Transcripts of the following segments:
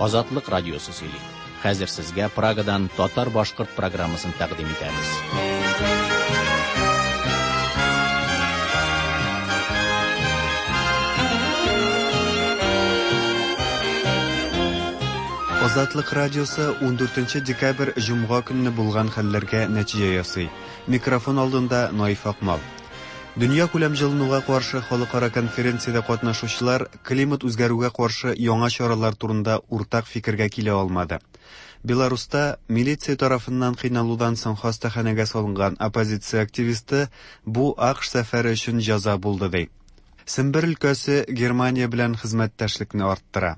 Азатлык радиосы сөйли. Хәзер сезгә Прагадан татар-башкорт программасын тәкъдим итәбез. Азатлык радиосы 14 декабрь җомга көнне булган хәлләргә нәтиҗә ясый. Микрофон алдында Наиф Акмал. Дөнья күләм җылынуга каршы халыкара конференциядә катнашучылар климат үзгәрүгә каршы яңа чаралар турында уртак фикергә килә алмады. Беларуста милиция тарафыннан кыйналудан соң хастаханәгә салынган оппозиция активисты бу АКШ сәфәре өчен җәза булды ди. Сембер өлкәсе Германия белән хезмәттәшлекне арттыра.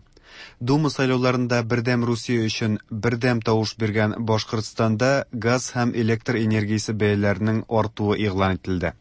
Дума сайлауларында Бердәм Русия өчен бердәм тавыш биргән Башкортстанда газ һәм электр энергиясе бәяләренең артуы игълан ителде.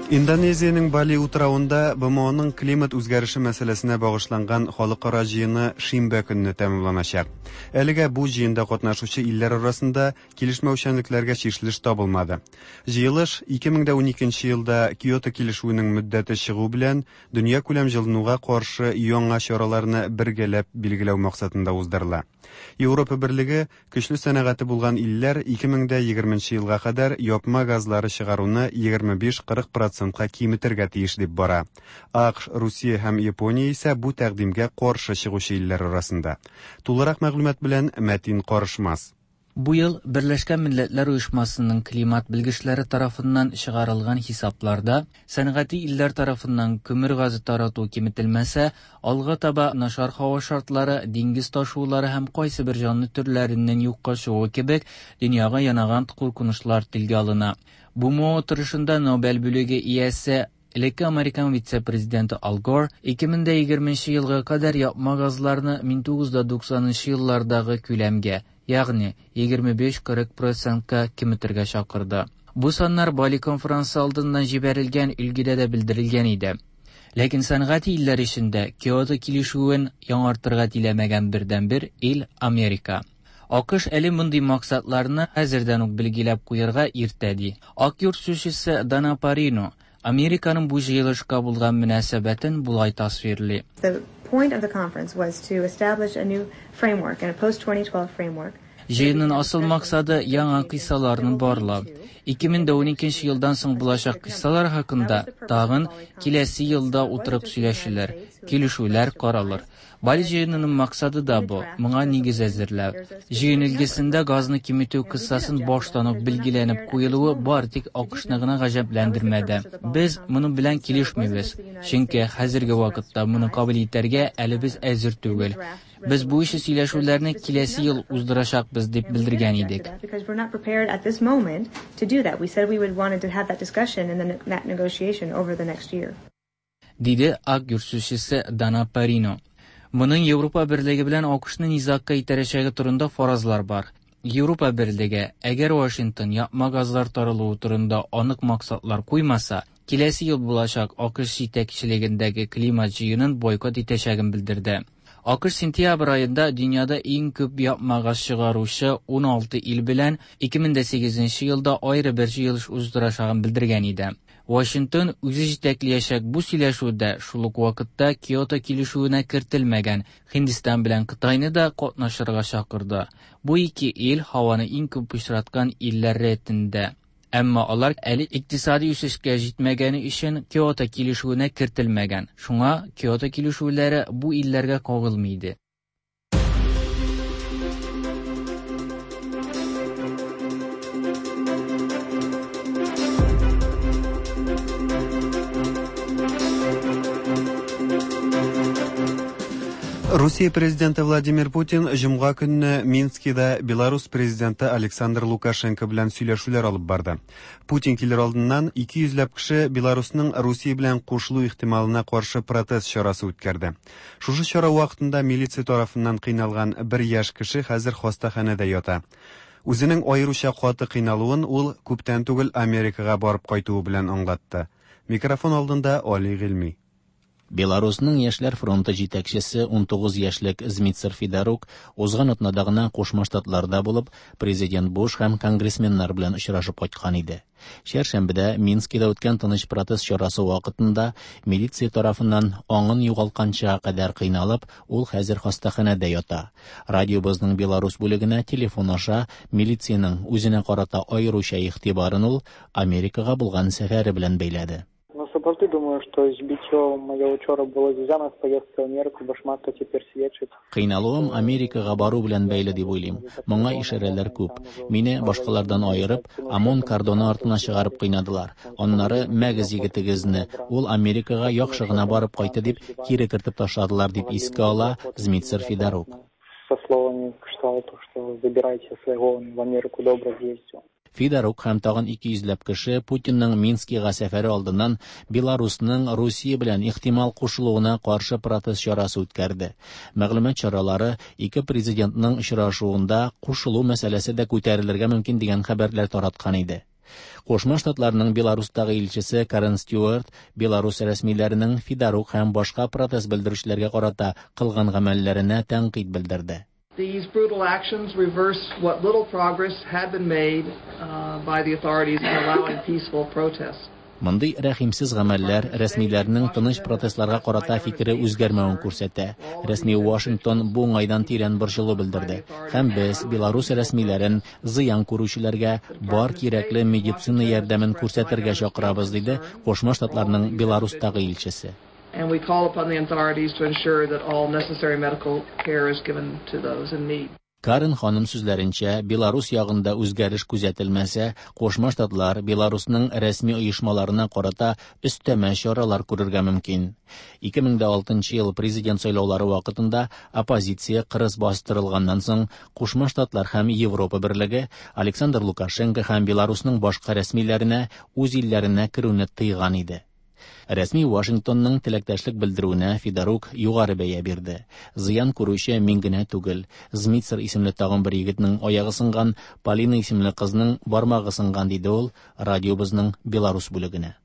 Индонезиянең Бали утравында БМОның климат үзгәреше мәсьәләсенә багышланган халыкара җыены шимбә көнне тәмамланачак. Әлегә бу җыенда катнашучы илләр арасында килешмәүчәнлекләргә чишелеш табылмады. Җыелыш 2012 елда Киото килешүенең мөддәте чыгу белән дөньякүләм җылынуга каршы яңа чараларны бергәләп билгеләү максатында уздырыла. Европа Берлеге көчле сәнәгате булган илләр 2020 елга кадәр япма газлары чыгаруны 25-40 процентка киметергә тиеш дип бара. АКШ, Русия һәм Япония исә бу тәкъдимгә каршы чыгучы илләр арасында. Тулырак мәгълүмат белән Мәтин Карышмас. Бу ел Берләшкән Милләтләр Оешмасының климат белгечләре тарафыннан чыгарылган хисапларда сәнәгати илләр тарафыннан көмер газы тарату киметелмәсә, алга таба начар һава шартлары, диңгез ташулары һәм кайсыбер җанлы төрләренең юкка чыгуы кебек дөньяга янаган куркынычлар телгә алына. БМО утырышында Нобель бүлеге иясе Элекке американ вице-президенты Ал Гор 2020 елга кадәр япма газларны 1990 еллардагы күләмгә, ягъни 25-40 процентка киметергә чакырды. Бу саннар Бали конференсы алдыннан җибәрелгән өлгедә дә белдерелгән иде. Ләкин сәнәгать илләр эчендә Киото килешүен яңартырга теләмәгән бердәнбер ил Америка. АКШ әле мондый максатларны хәзердән үк билгеләп куярга иртә ди. Ак йорт сүзчесе Дана Парино Американың бу җыелышка булган мөнәсәбәтен болай тасвирлый. The point of the conference was to establish a new framework and a post-2012 framework. Җыенның асыл максаты яңа кыйссаларны барлау. 2012 елдан соң булачак кыйссалар хакында тагын киләсе елда утырып сөйләшүләр, килешүләр каралыр. Бали җыенының максаты да бу, моңа нигез әзерләү. Җыен өлгесендә газны киметү кыссасын баштан ук билгеләнеп куелуы бары тик АКШны гына гаҗәпләндермәде. Без моның белән килешмибез, чөнки хәзерге вакытта моны кабул итәргә әле без әзер түгел. Без бу ише сөйләшүләрне киләсе ел уздырачакбыз дип белдергән идек. Because we're not prepared at this moment to do that. We said we would wanted to have that discussion and then that negotiation over the next year. Диде Ак йорт сүзчесе Дана Парино. Моның Европа Берлеге белән АКШны низагка итәрәчәге турында фаразлар бар. Европа Берлеге, әгәр Вашингтон япма газлар таралуы турында анык максатлар куймаса, киләсе ел булачак АКШ җитәкчелегендәге климат җыенын бойкот итәчәген белдерде. АКШ сентябрь аенда дөньяда иң күп япма газ чыгаручы 16 ил белән 2008 елда аеры бер җыелыш уздырачагын белдергән иде. Вашингтон үзе җитәкләячәк бу сөйләшүдә шул ук вакытта Киото килешүенә кертелмәгән Һиндстан белән Кытайны да катнашырга чакырды. Бу ике ил һаваны иң күп пычраткан илләр рәтендә. Әмма алар әле икътисади үсешкә җитмәгәне өчен Киото килешүенә кертелмәгән. Шуңа Киото килешүләре бу илләргә кагылмый иде. Русия президенты Владимир Путин җомга көнне Минскида Беларус президенты Александр Лукашенко белән сөйләшүләр алып барды. Путин килер алдыннан 200 ләп кеше Беларусның Русия белән кушылу ихтималына каршы протест чарасы үткәрде. Шушы чара вакытында милиция тарафыннан кыйналган бер яшь кеше хәзер хастаханәдә ята. Үзенең аеруча каты кыйналуын ул күптән түгел Америкага барып кайтуы белән аңлатты. Микрофон алдында Али Гыйльми. Беларусның Яшьләр фронты җитәкчесе 19 яшьлек Змитцер Федорук узган атнада гына Кушма Штатларда булып, президент Буш һәм конгрессменнар белән очрашып кайткан иде. Чәршәмбедә Минскида үткән тыныч протест чарасы вакытында милиция тарафыннан аңын югалтканчыга кадәр кыйналып, ул хәзер хастаханәдә ята. Радиобызның Беларус бүлегенә телефон аша милициянең үзенә карата аеруча игътибарын ул Америкага булган сәфәре белән бәйләде. Ну, сапраўды думаю, што збіццё маё учора было звязана з паездкай у Амерыку, бо шмат хто цяпер сведчыць. Кыйналуым Америкага бару белән бәйле дип уйлыйм. Моңа ишарәләр күп. Мине башкалардан аерып, ОМОН кордоны артына чыгарып кыйнадылар. Аннары мәгез егетегезне, ул Америкага яхшы гына барып кайтты дип, кире кертеп ташладылар, дип искә ала Змитцер Федорук. Со словами кшталту, что забирайте своего, он в Америку добро съездил. Федорук һәм тагын 200 ләп кеше Путинның Минскига сәфәре алдыннан Беларусның Русия белән ихтимал кушылуына каршы протест чарасы үткәрде. Мәгълүмат чаралары ике президентның очрашуында кушылу мәсьәләсе дә күтәрелергә мөмкин дигән хәбәрләр тараткан иде. Кушма Штатларның Беларустагы илчесе Карен Стюарт Беларус рәсмиләренең Федорук һәм башка протест белдерүчеләргә карата кылган гамәлләренә тәнкыйть белдерде. These brutal actions reverse what little progress had been made by the authorities in allowing peaceful protests. Мондый рәхимсез гамәлләр рәсмиләрнең тыныч протестларга карата фикере үзгәрмәвен күрсәтә. Рәсми Вашингтон бу уңайдан тирән борчылу белдерде. Һәм без Беларус рәсмиләрен зыян күрүчеләргә бар кирәкле медицина ярдәмен күрсәтергә чакырабыз, диде Кушма Штатларның Беларустагы илчесе. And we call upon the authorities to ensure that all necessary medical care is given to those in need. Карен ханым сүзләренчә, Беларус ягында үзгәреш күзәтелмәсә, Кушма Штатлар Беларусның рәсми оешмаларына карата өстәмә чаралар күрергә мөмкин. 2006 ел президент сайлаулары вакытында оппозиция кырыс бастырылганнан соң, Кушма Штатлар һәм Европа берлеге Александр Лукашенко һәм Беларусның башка рәсмиләренә үз илләренә керүне тыйган иде. Рәсми Вашингтонның теләктәшлек белдерүенә Федорук югары бәя бирде. Зыян күрүче мин генә түгел. Змитцер исемле тагын бер егетнең аягы сынган, Полина исемле кызның бармагы сынган, диде ул радиобызның Беларус бүлегенә.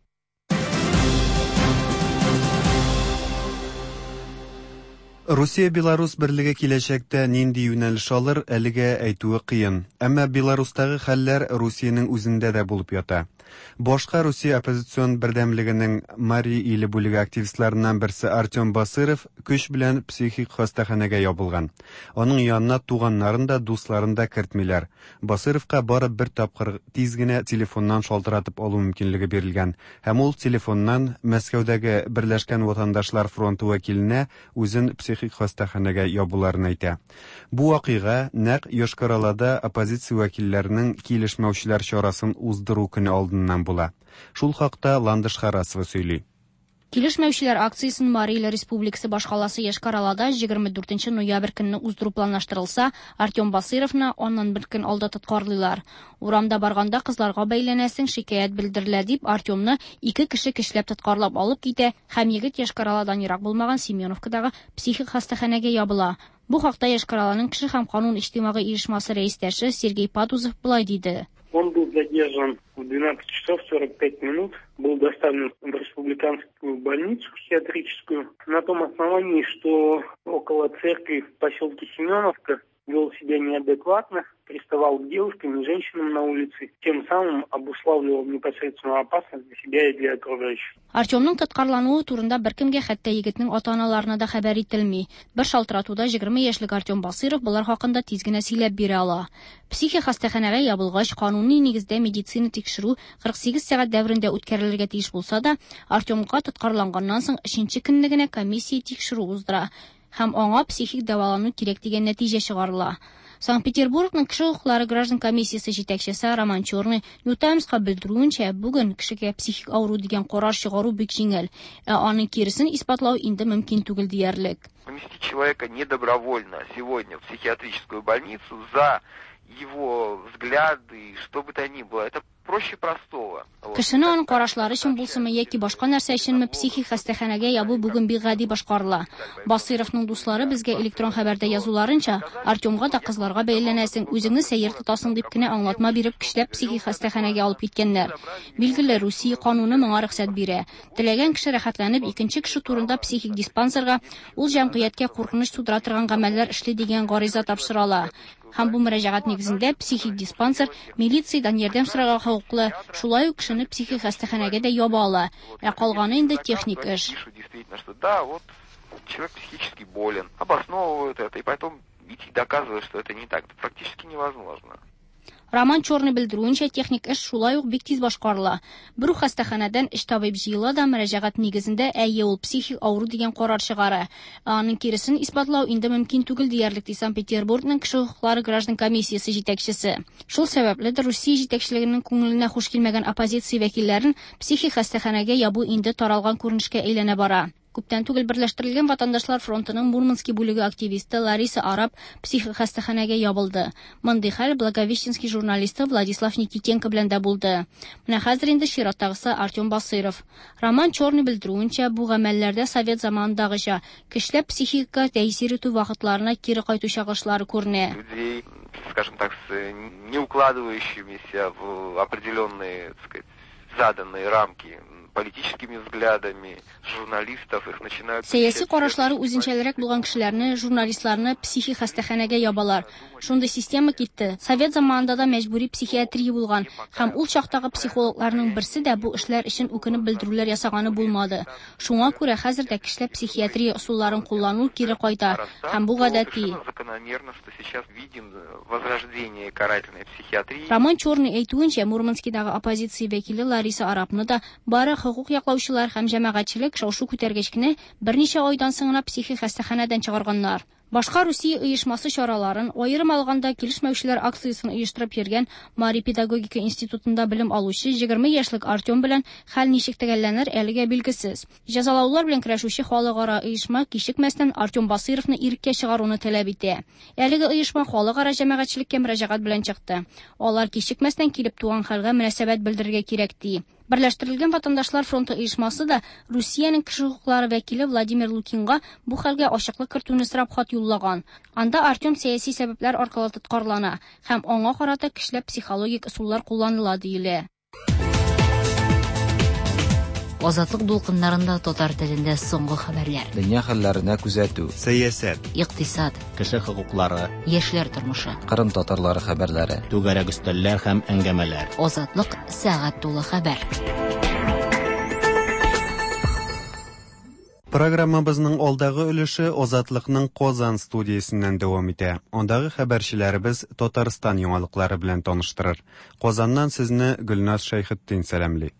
Русия-Беларус берлеге киләчәктә нинди юнәлеш алыр, әлегә әйтүе кыен. Әмма Беларустагы хәлләр Русиянең үзендә дә булып ята. Башка Русия оппозицион бердәмлегенең Мари иле бүлеге активистларыннан берсе Артем Басыров көч белән психик хастаханәгә ябылган. Аның янына туганнарын да, дусларын да кертмиләр. Басыровка бары бер тапкыр тиз генә телефоннан шалтыратып алу мөмкинлеге бирелгән. Һәм ул телефоннан Мәскәүдәге Берләшкән ватандашлар фронты вәкиленә үзен психик хастаханәгә ябуларын әйтә. Бу вакыйга нәкъ Йошкар-Олада оппозиция вәкилләренең килешмәүчеләр чарасын уздыру көне алдыннан була. Шул хакта Ландыш Харасова сөйли. Килешмәүчеләр акциясен Мари Иле Республикасы башкаласы Йошкар-Олада 24 ноябрь көнне уздыру планлаштырылса, Артем Басыровны аннан бер көн алда тоткарлыйлар. Урамда барганда кызларга бәйләнәсең, шикаять белдерелә дип, Артемны ике кеше көчләп тоткарлап алып китә һәм егет Йошкар-Оладан ерак булмаган Семеновкадагы психик хастаханәгә ябыла. Бу хакта Йошкар-Оланың кеше һәм канун иҗтимагый оешмасы рәистәше Сергей Падузов болай диде. Он был задержан в 12 часов 45 минут, был доставлен в республиканскую больницу психиатрическую на том основании, что около церкви в поселке Семеновка вел себя неадекватно, приставал к девушкам и женщинам на улице, тем самым обуславливал непосредственную опасность для себя и для окружающих. Артемның тоткарлануы турында беркемгә, хәтта егетнең ата-аналарына да хәбәр ителми. Бер шалтыратуда 20 яшьлек Артем Басыров болар хакында тиз генә сөйләп бирә ала. Психик хастаханәгә ябылгач, кануни нигездә медицина тикшерү 48 сәгать дәверендә үткәрелергә тиеш булса да, Артемга тоткарланганнан соң өченче көнне генә комиссия тикшерү уздыра һәм аңа психик дәвалану кирәк дигән нәтиҗә чыгарыла. Санкт-Петербургның кеше хокуклары граждан комиссиясе җитәкчесе Роман Черный New Timesка белдерүенчә, бүген кешегә психик авыру дигән карар чыгару бик җиңел, ә аның киресен исбатлау инде мөмкин түгел диярлек. Поместить человека недобровольно сегодня в психиатрическую больницу за его взгляды, что бы то ни было, это проще простого. Кешене аның карашлары өчен булсынмы яки башка нәрсә өченме психик хастаханәгә ябу бүген бик гади башкарыла. Басыйровның дуслары безгә электрон хәбәрдә язуларынча, Артемга да кызларга бәйләнәсең, үзеңне сәер тотасың дип кенә аңлатма биреп көчләп психик хастаханәгә алып киткәннәр. Билгеле, Русия кануны моңа рөхсәт бирә. Теләгән кеше рәхәтләнеп икенче кеше турында психик диспансерга ул җәмгыятькә куркыныч тудыра торган гамәлләр эшли дигән гариза тапшыра ала. Һәм бу мөрәҗәгать нигезендә психик диспансер милициядән ярдәм сорарга хокуклы, шулай ук кешене психик хастаханәгә дә яба ала. Ә калганы инде техник эш. Действительно, что да, вот человек психически болен, обосновывают это, и потом идти доказывать, что это не так, это практически невозможно. Роман Черный белдерүенчә, техник эш шулай ук бик тиз башкарыла. Бер үк хастаханәдән өч табиб җыела да мөрәҗәгать нигезендә әйе ул психик авыру дигән карар чыгара. Ә аның киресен исбатлау инде мөмкин түгел диярлек, ди Санкт-Петербургның кеше хокуклары граждан комиссиясе җитәкчесе. Шул сәбәпледер Русия җитәкчелегенең күңеленә хуш килмәгән оппозиция вәкилләрен психик хастаханәгә ябу инде таралган күренешкә әйләнә бара. Күптән түгел Берләштерелгән ватандашлар фронтының Мурманский бүлеге активисты Лариса Араб психик хастаханәгә ябылды. Мондый хәл Благовещенский журналисты Владислав Никитенко белән дә булды. Менә хәзер инде чираттагысы Артем Басыйров. Роман Черный белдерүенчә, бу гамәлләрдә совет заманындагыча көчләп психикага тәэсир итү вакытларына кире кайту чагылышлары күренә. Людей, скажем так, с не укладывающимися в определенные, так сказать, заданные рамки политическими взглядами, журналистов, их начинают... Сәяси карашлары үзенчәлерәк булган кешеләрне, журналистларны психик хастаханәгә ябалар. Шундый система китте. Совет заманында да мәҗбүри психиатрия булган һәм ул чактагы психологларның берсе дә бу эшләр өчен үкенеп белдерүләр ясаганы булмады. Шуңа күрә хәзер дә кешеләр психиатрия ысулларын куллану кире кайта һәм бу гадәти. Закономерно, что сейчас видим возрождение карательной психиатрии. Роман Черный әйтүенчә, Мурманскидагы оппозиция вәкиле Лариса Арабны да бары хокук яклаучылар һәм җәмәгатьчелек шау-шу күтәргәч кенә берничә айдан соң гына психик хастаханәдән чыгарганнар. Башка Русия оешмасы чараларын, аерым алганда килешмәүчеләр акциясен оештырып йөргән Мари педагогика институтында белем алучы 20 яшьлек Артем белән хәл ничек төгәлләнер әлегә билгесез. Җәзалаулар белән көрәшүче халыкара оешма кичекмәстән Артем Басыйровны иреккә чыгаруны таләп итә. Әлеге оешма халыкара җәмәгатьчелеккә мөрәҗәгать белән чыкты. Алар кичекмәстән килеп туган хәлгә мөнәсәбәт белдерергә кирәк ди. Берләштерелгән ватандашлар фронты оешмасы да Русиянең кеше хокуклары вәкиле Владимир Лукинга бу хәлгә ачыклык кертүне сорап хат юллаган. Анда Артем сәяси сәбәпләр аркылы тоткарлана һәм аңа карата көчләп психологик ысуллар кулланыла диелә. Азатлык дулкыннарында татар телендә соңгы хәбәрләр. Дөнья хәлләренә күзәтү. Сәясәт. Икътисад. Кеше хокуклары. Яшьләр тормышы. Кырым татарлары хәбәрләре. Түгәрәк өстәлләр һәм әңгәмәләр. Азатлык сәгать тулы хәбәр. Программабызның алдагы өлеше Азатлыкның Казан студиясеннән дәвам итә. Андагы хәбәрчеләребез Татарстан яңалыклары белән таныштырыр. Казаннан сезне Гөлназ Шәйхетдин сәламли.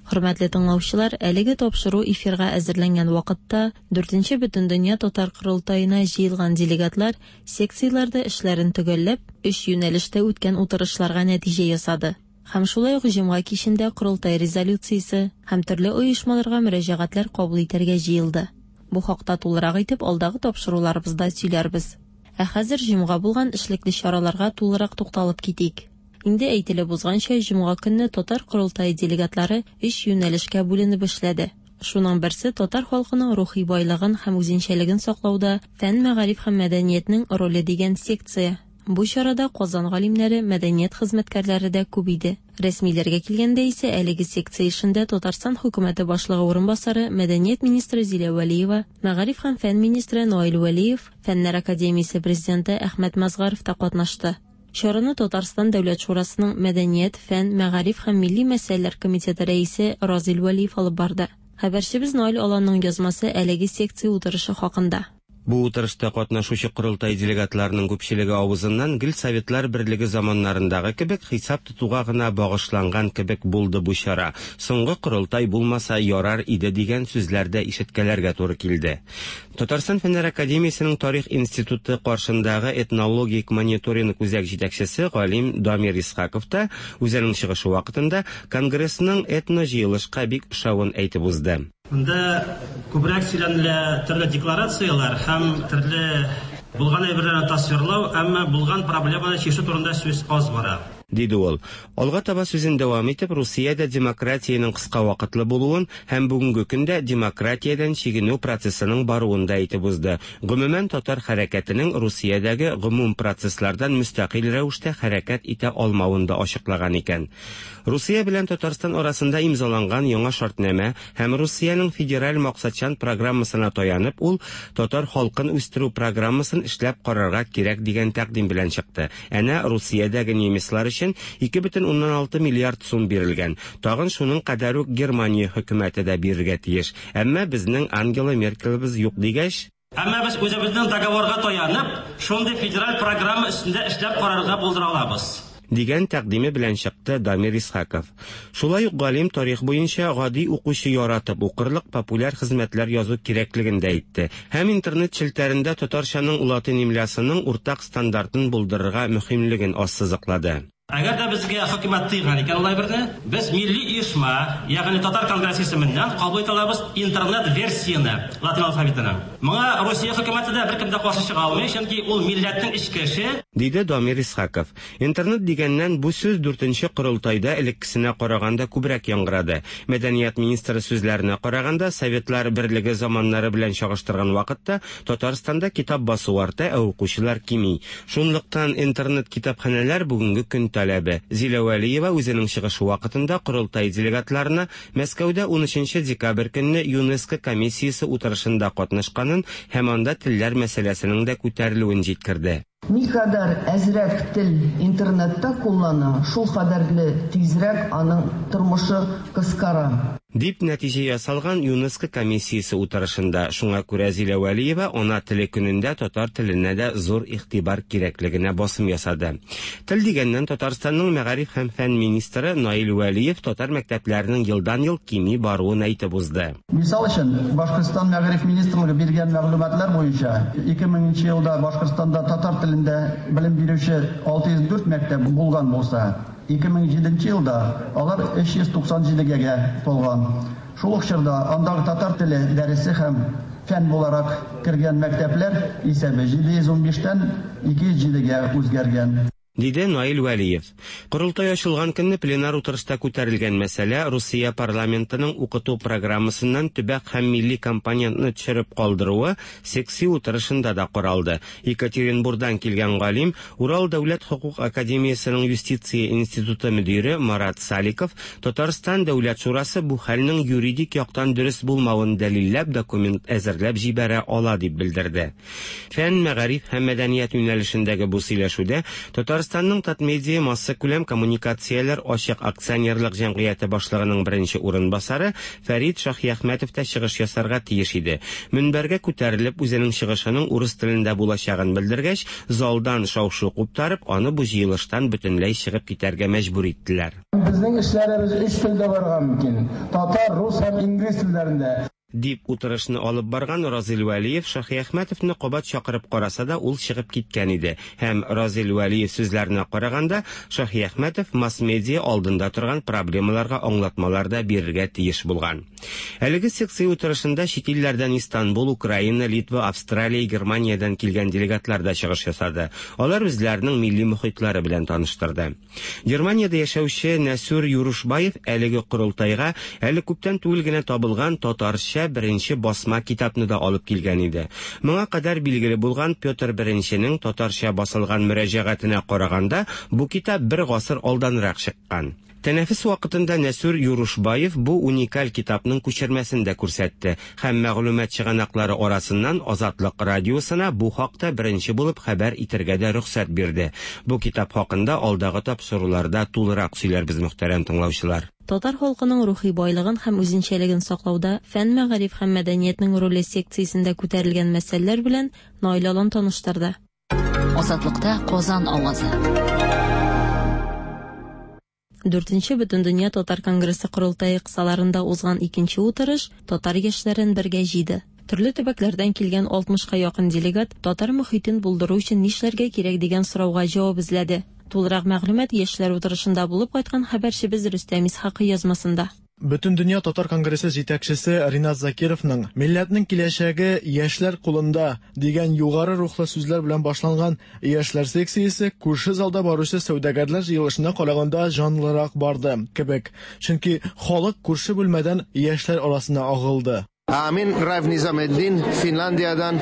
Хөрмәтле тыңлаучылар, әлеге тапшыру эфирга әзерләнгән вакытта 4нче Бөтендөнья татар корылтаена җыелган делегатлар секцияләрдә эшләрен төгәлләп, өч юнәлештә үткән утырышларга нәтиҗә ясады. Һәм шулай ук җомга кичендә корылтай резолюциясе һәм төрле оешмаларга мөрәҗәгатьләр кабул итәргә җыелды. Бу хакта тулырак итеп алдагы тапшыруларыбызда сөйләрбез. Ә хәзер җомга булган эшлекле чараларга тулырак тукталып китик. Инде әйтелеп узганча, җомга көнне татар корылтае делегатлары өч юнәлешкә бүленеп эшләде. Шуның берсе татар халкының рухи байлыгын һәм үзенчәлеген саклауда фән, мәгариф һәм мәдәниятнең роле дигән секция. Бу чарада Казан галимнәре, мәдәният хезмәткәрләре дә күп иде. Рәсмиләргә килгәндә исә әлеге секция эшендә Татарстан хөкүмәте башлыгы урынбасары, мәдәният министры Зилә Вәлиева, мәгариф һәм фән министры Наил Вәлиев, Фәннәр академиясе президенты Әхмәт Мазгаров та катнашты. Чараны Татарстан Дәүләт Шурасының Мәдәният, фән, мәгариф һәм милли мәсьәләләр комитеты рәисе Разил Вәлиев алып барды. Хәбәрчебез Наил Аланның язмасы әлеге секция утырышы хакында. Бу утырышта катнашучы корылтай делегатларының күпчелеге авызыннан гел Советлар берлеге заманнарындагы кебек хисап тотуга гына багышланган кебек булды бу чара. Соңгы корылтай булмаса ярар иде дигән сүзләр дә ишеткәләргә туры килде. Татарстан Фәннәр академиясенең Тарих институты каршындагы этнологик мониторинг үзәк җитәкчесе галим Дамир Исхаков та үзенең чыгышы вакытында конгрессның этно җыелышка бик ошавын әйтеп узды. Монда күбрәк сөйләнелә төрле декларацияләр һәм төрле булган әйберләрне тасвирлау, әмма булган проблеманы чишү турында сүз аз бара. Диде ул. Алга таба сүзен дәвам итеп, Русиядә демократиянең кыска вакытлы булуын һәм бүгенге көндә демократиядән чигенү процессының баруын да әйтеп узды. Гомумән, татар хәрәкәтенең Русиядәге гомум процесслардан мөстәкыйль рәвештә хәрәкәт итә алмавын да ачыклаган икән. Русия белән Татарстан арасында имзаланган яңа шартнамә һәм Русиянең федераль максатчан программасына таянып, ул татар халкын үстерү программасын эшләп карарга кирәк дигән тәкъдим белән чыкты. Әнә Русиядәге немецлар өчен 2,6 миллиард сум бирелгән. Тагын шуның кадәр үк Германия хөкүмәте дә бирергә тиеш. Әмма безнең Ангела Меркелебез юк дигәч, Әмма без үзебезнең договорга таянып, шундый федераль программа өстендә эшләп карарга булдыра алабыз. Дигән тәкъдиме белән чыкты Дамир Исхаков. Шулай ук галим тарих буенча гади укучы яратып укырлык популяр хезмәтләр язу кирәклеген дә әйтте. Һәм интернет челтәрендә татарчаның латин имлясының уртак стандартын булдырырга мөһимлеген ассызыклады. Әгәр дә безгә хөкүмәт тыйган икән ул әйберне, без милли оешма, ягъни Татар конгрессы исеменнән кабул итә алабыз интернет версияне латин алфавитының. Моңа Русия хөкүмәте дә, беркем дә каршы чыга алмый, чөнки ул милләтнең эчке эше. Диде Дамир Исхаков. Интернет дигәннән, бу сүз дүртенче корылтайда элеккесенә караганда күбрәк яңгырады. Мәдәният министры сүзләренә караганда, Советлар Берлеге заманнары белән чагыштырган вакытта Татарстанда китап басу арта, ә укучылар кими. Шунлыктан интернет-китапханәләр бүгенге көн таләбе. Зилә Вәлиева үзенең чыгышы вакытында корылтай делегатларына Мәскәүдә унөченче декабрь көнне ЮНЕСКО комиссиясе утырышында катнашканын һәм анда телләр мәсьәләсенең дә күтәрелүен җиткерде. Никадәр әзрәк тел интернетта куллана, шул кадәрле тизрәк аның тормышы кыскара. Дип нәтиҗә ясалган ЮНЕСКО комиссиясе утырышында. Шуңа күрә Зилә Вәлиева Ана теле көнендә татар теленә дә зур игътибар кирәклегенә басым ясады. Тел дигәннән, Татарстанның мәгариф һәм фән министры Наил Вәлиев татар мәктәпләренең елдан-ел кими баруын әйтеп узды. Мисал өчен, Башкортстан Мәгариф министрлыгы биргән мәгълүматлар буенча, 2000 нче елда Башкортстанда татар телендә белем бирүче 604 мәктәп булган булса, 2007 нче елда алар 397 гә тулган. Шул ук чорда андагы татар теле дәресе һәм фән буларак кергән мәктәпләр исәбе 715 тән 207 гә үзгәргән. Диде Наил Вәлиев. Корылтай ачылган көнне пленар утырышта күтәрелгән мәсьәлә, Русия парламентының укыту программасыннан төбәк һәм милли компонентны төшереп калдыруы секция утырышында да каралды. Екатеринбурдан килгән галим, Урал дәүләт хокук академиясенең юстиция институты мөдире Марат Саликов Татарстан Дәүләт шурасы бу хәлнең юридик яктан дөрес булмавын дәлилләп документ әзерләп җибәрә ала дип белдерде. Фән, мәгариф һәм мәдәният юнәлешендәге бу сөйләшүдә Татарстанның Татмедиа массакүләм коммуникацияләр ачык акционерлык җәмгыяте башлыгының беренче урынбасары Фәрит Шаһиәхмәтов та чыгыш ясарга тиеш иде. Мөнбәргә күтәрелеп, үзенең чыгышының урыс телендә булачагын белдергәч, залдан шау-шу куптарып, аны бу җыелыштан бөтенләй чыгып китәргә мәҗбүр иттеләр. Безнең эшләребез өч телдә барырга мөмкин, татар, рус һәм инглиз телләрендә. Дип утырышны алып барган Разил Вәлиев Шаһиәхмәтовны кабат чакырып караса да, ул чыгып киткән иде. Һәм, Разил Вәлиев сүзләренә караганда, Шаһиәхмәтов масс-медиа алдында торган проблемаларга аңлатмалар да бирергә тиеш булган. Әлеге секция утырышында чит илләрдән Истанбул, Украина, Литва, Австралия, Германиядән килгән делегатлар да чыгыш ясады. Алар үзләренең милли мохитлары белән таныштырды. Германиядә яшәүче Нәсүр Юрушбаев әлеге корылтайга әле күптән түгел генә табылган татарча беренче басма китапны да алып килгән иде. Моңа кадәр билгеле булган Петр Беренченең татарча басылган мөрәҗәгатенә караганда, бу китап бер гасыр алданрак чыккан. Тәнәфес вакытында Нәсүр Юрушбаев бу уникаль китапның күчермәсен дә күрсәтте һәм мәгълүмат чыганаклары арасыннан Азатлык радиосына бу хакта беренче булып хәбәр итәргә дә рөхсәт бирде. Бу китап хакында алдагы тапшыруларда тулырак сөйләрбез, мөхтәрәм тыңлаучылар. Татар халкының рухи байлыгын һәм үзенчәлеген саклауда фән, мәгариф һәм мәдәниятнең роле секциясендә күтәрелгән мәсьәләләр белән Наил Алан таныштырды. Азатлыкта Казан авазы. Дүртенче Бөтендөнья татар конгрессы корылтае кысаларында узган икенче утырыш татар яшьләрен бергә җыйды. Төрле төбәкләрдән килгән 60 ка якын делегат татар мохитен булдыру өчен нишләргә кирәк дигән сорауга җавап эзләде. Тулырак мәгълүмат яшьләр утырышында булып кайткан хәбәрчебез Рөстәм Исхакый язмасында. Бөтендөнья татар конгрессы җитәкчесе Ринат Закировның «Милләтнең киләчәге яшьләр кулында» дигән югары рухлы сүзләр белән башланган яшьләр секциясе күрше залда баручы сәүдәгәрләр җыелышына караганда җанлырак барды кебек. Чөнки халык күрше бүлмәдән яшьләр арасына агылды. Мин Райф Низаметдин, Финляндиядән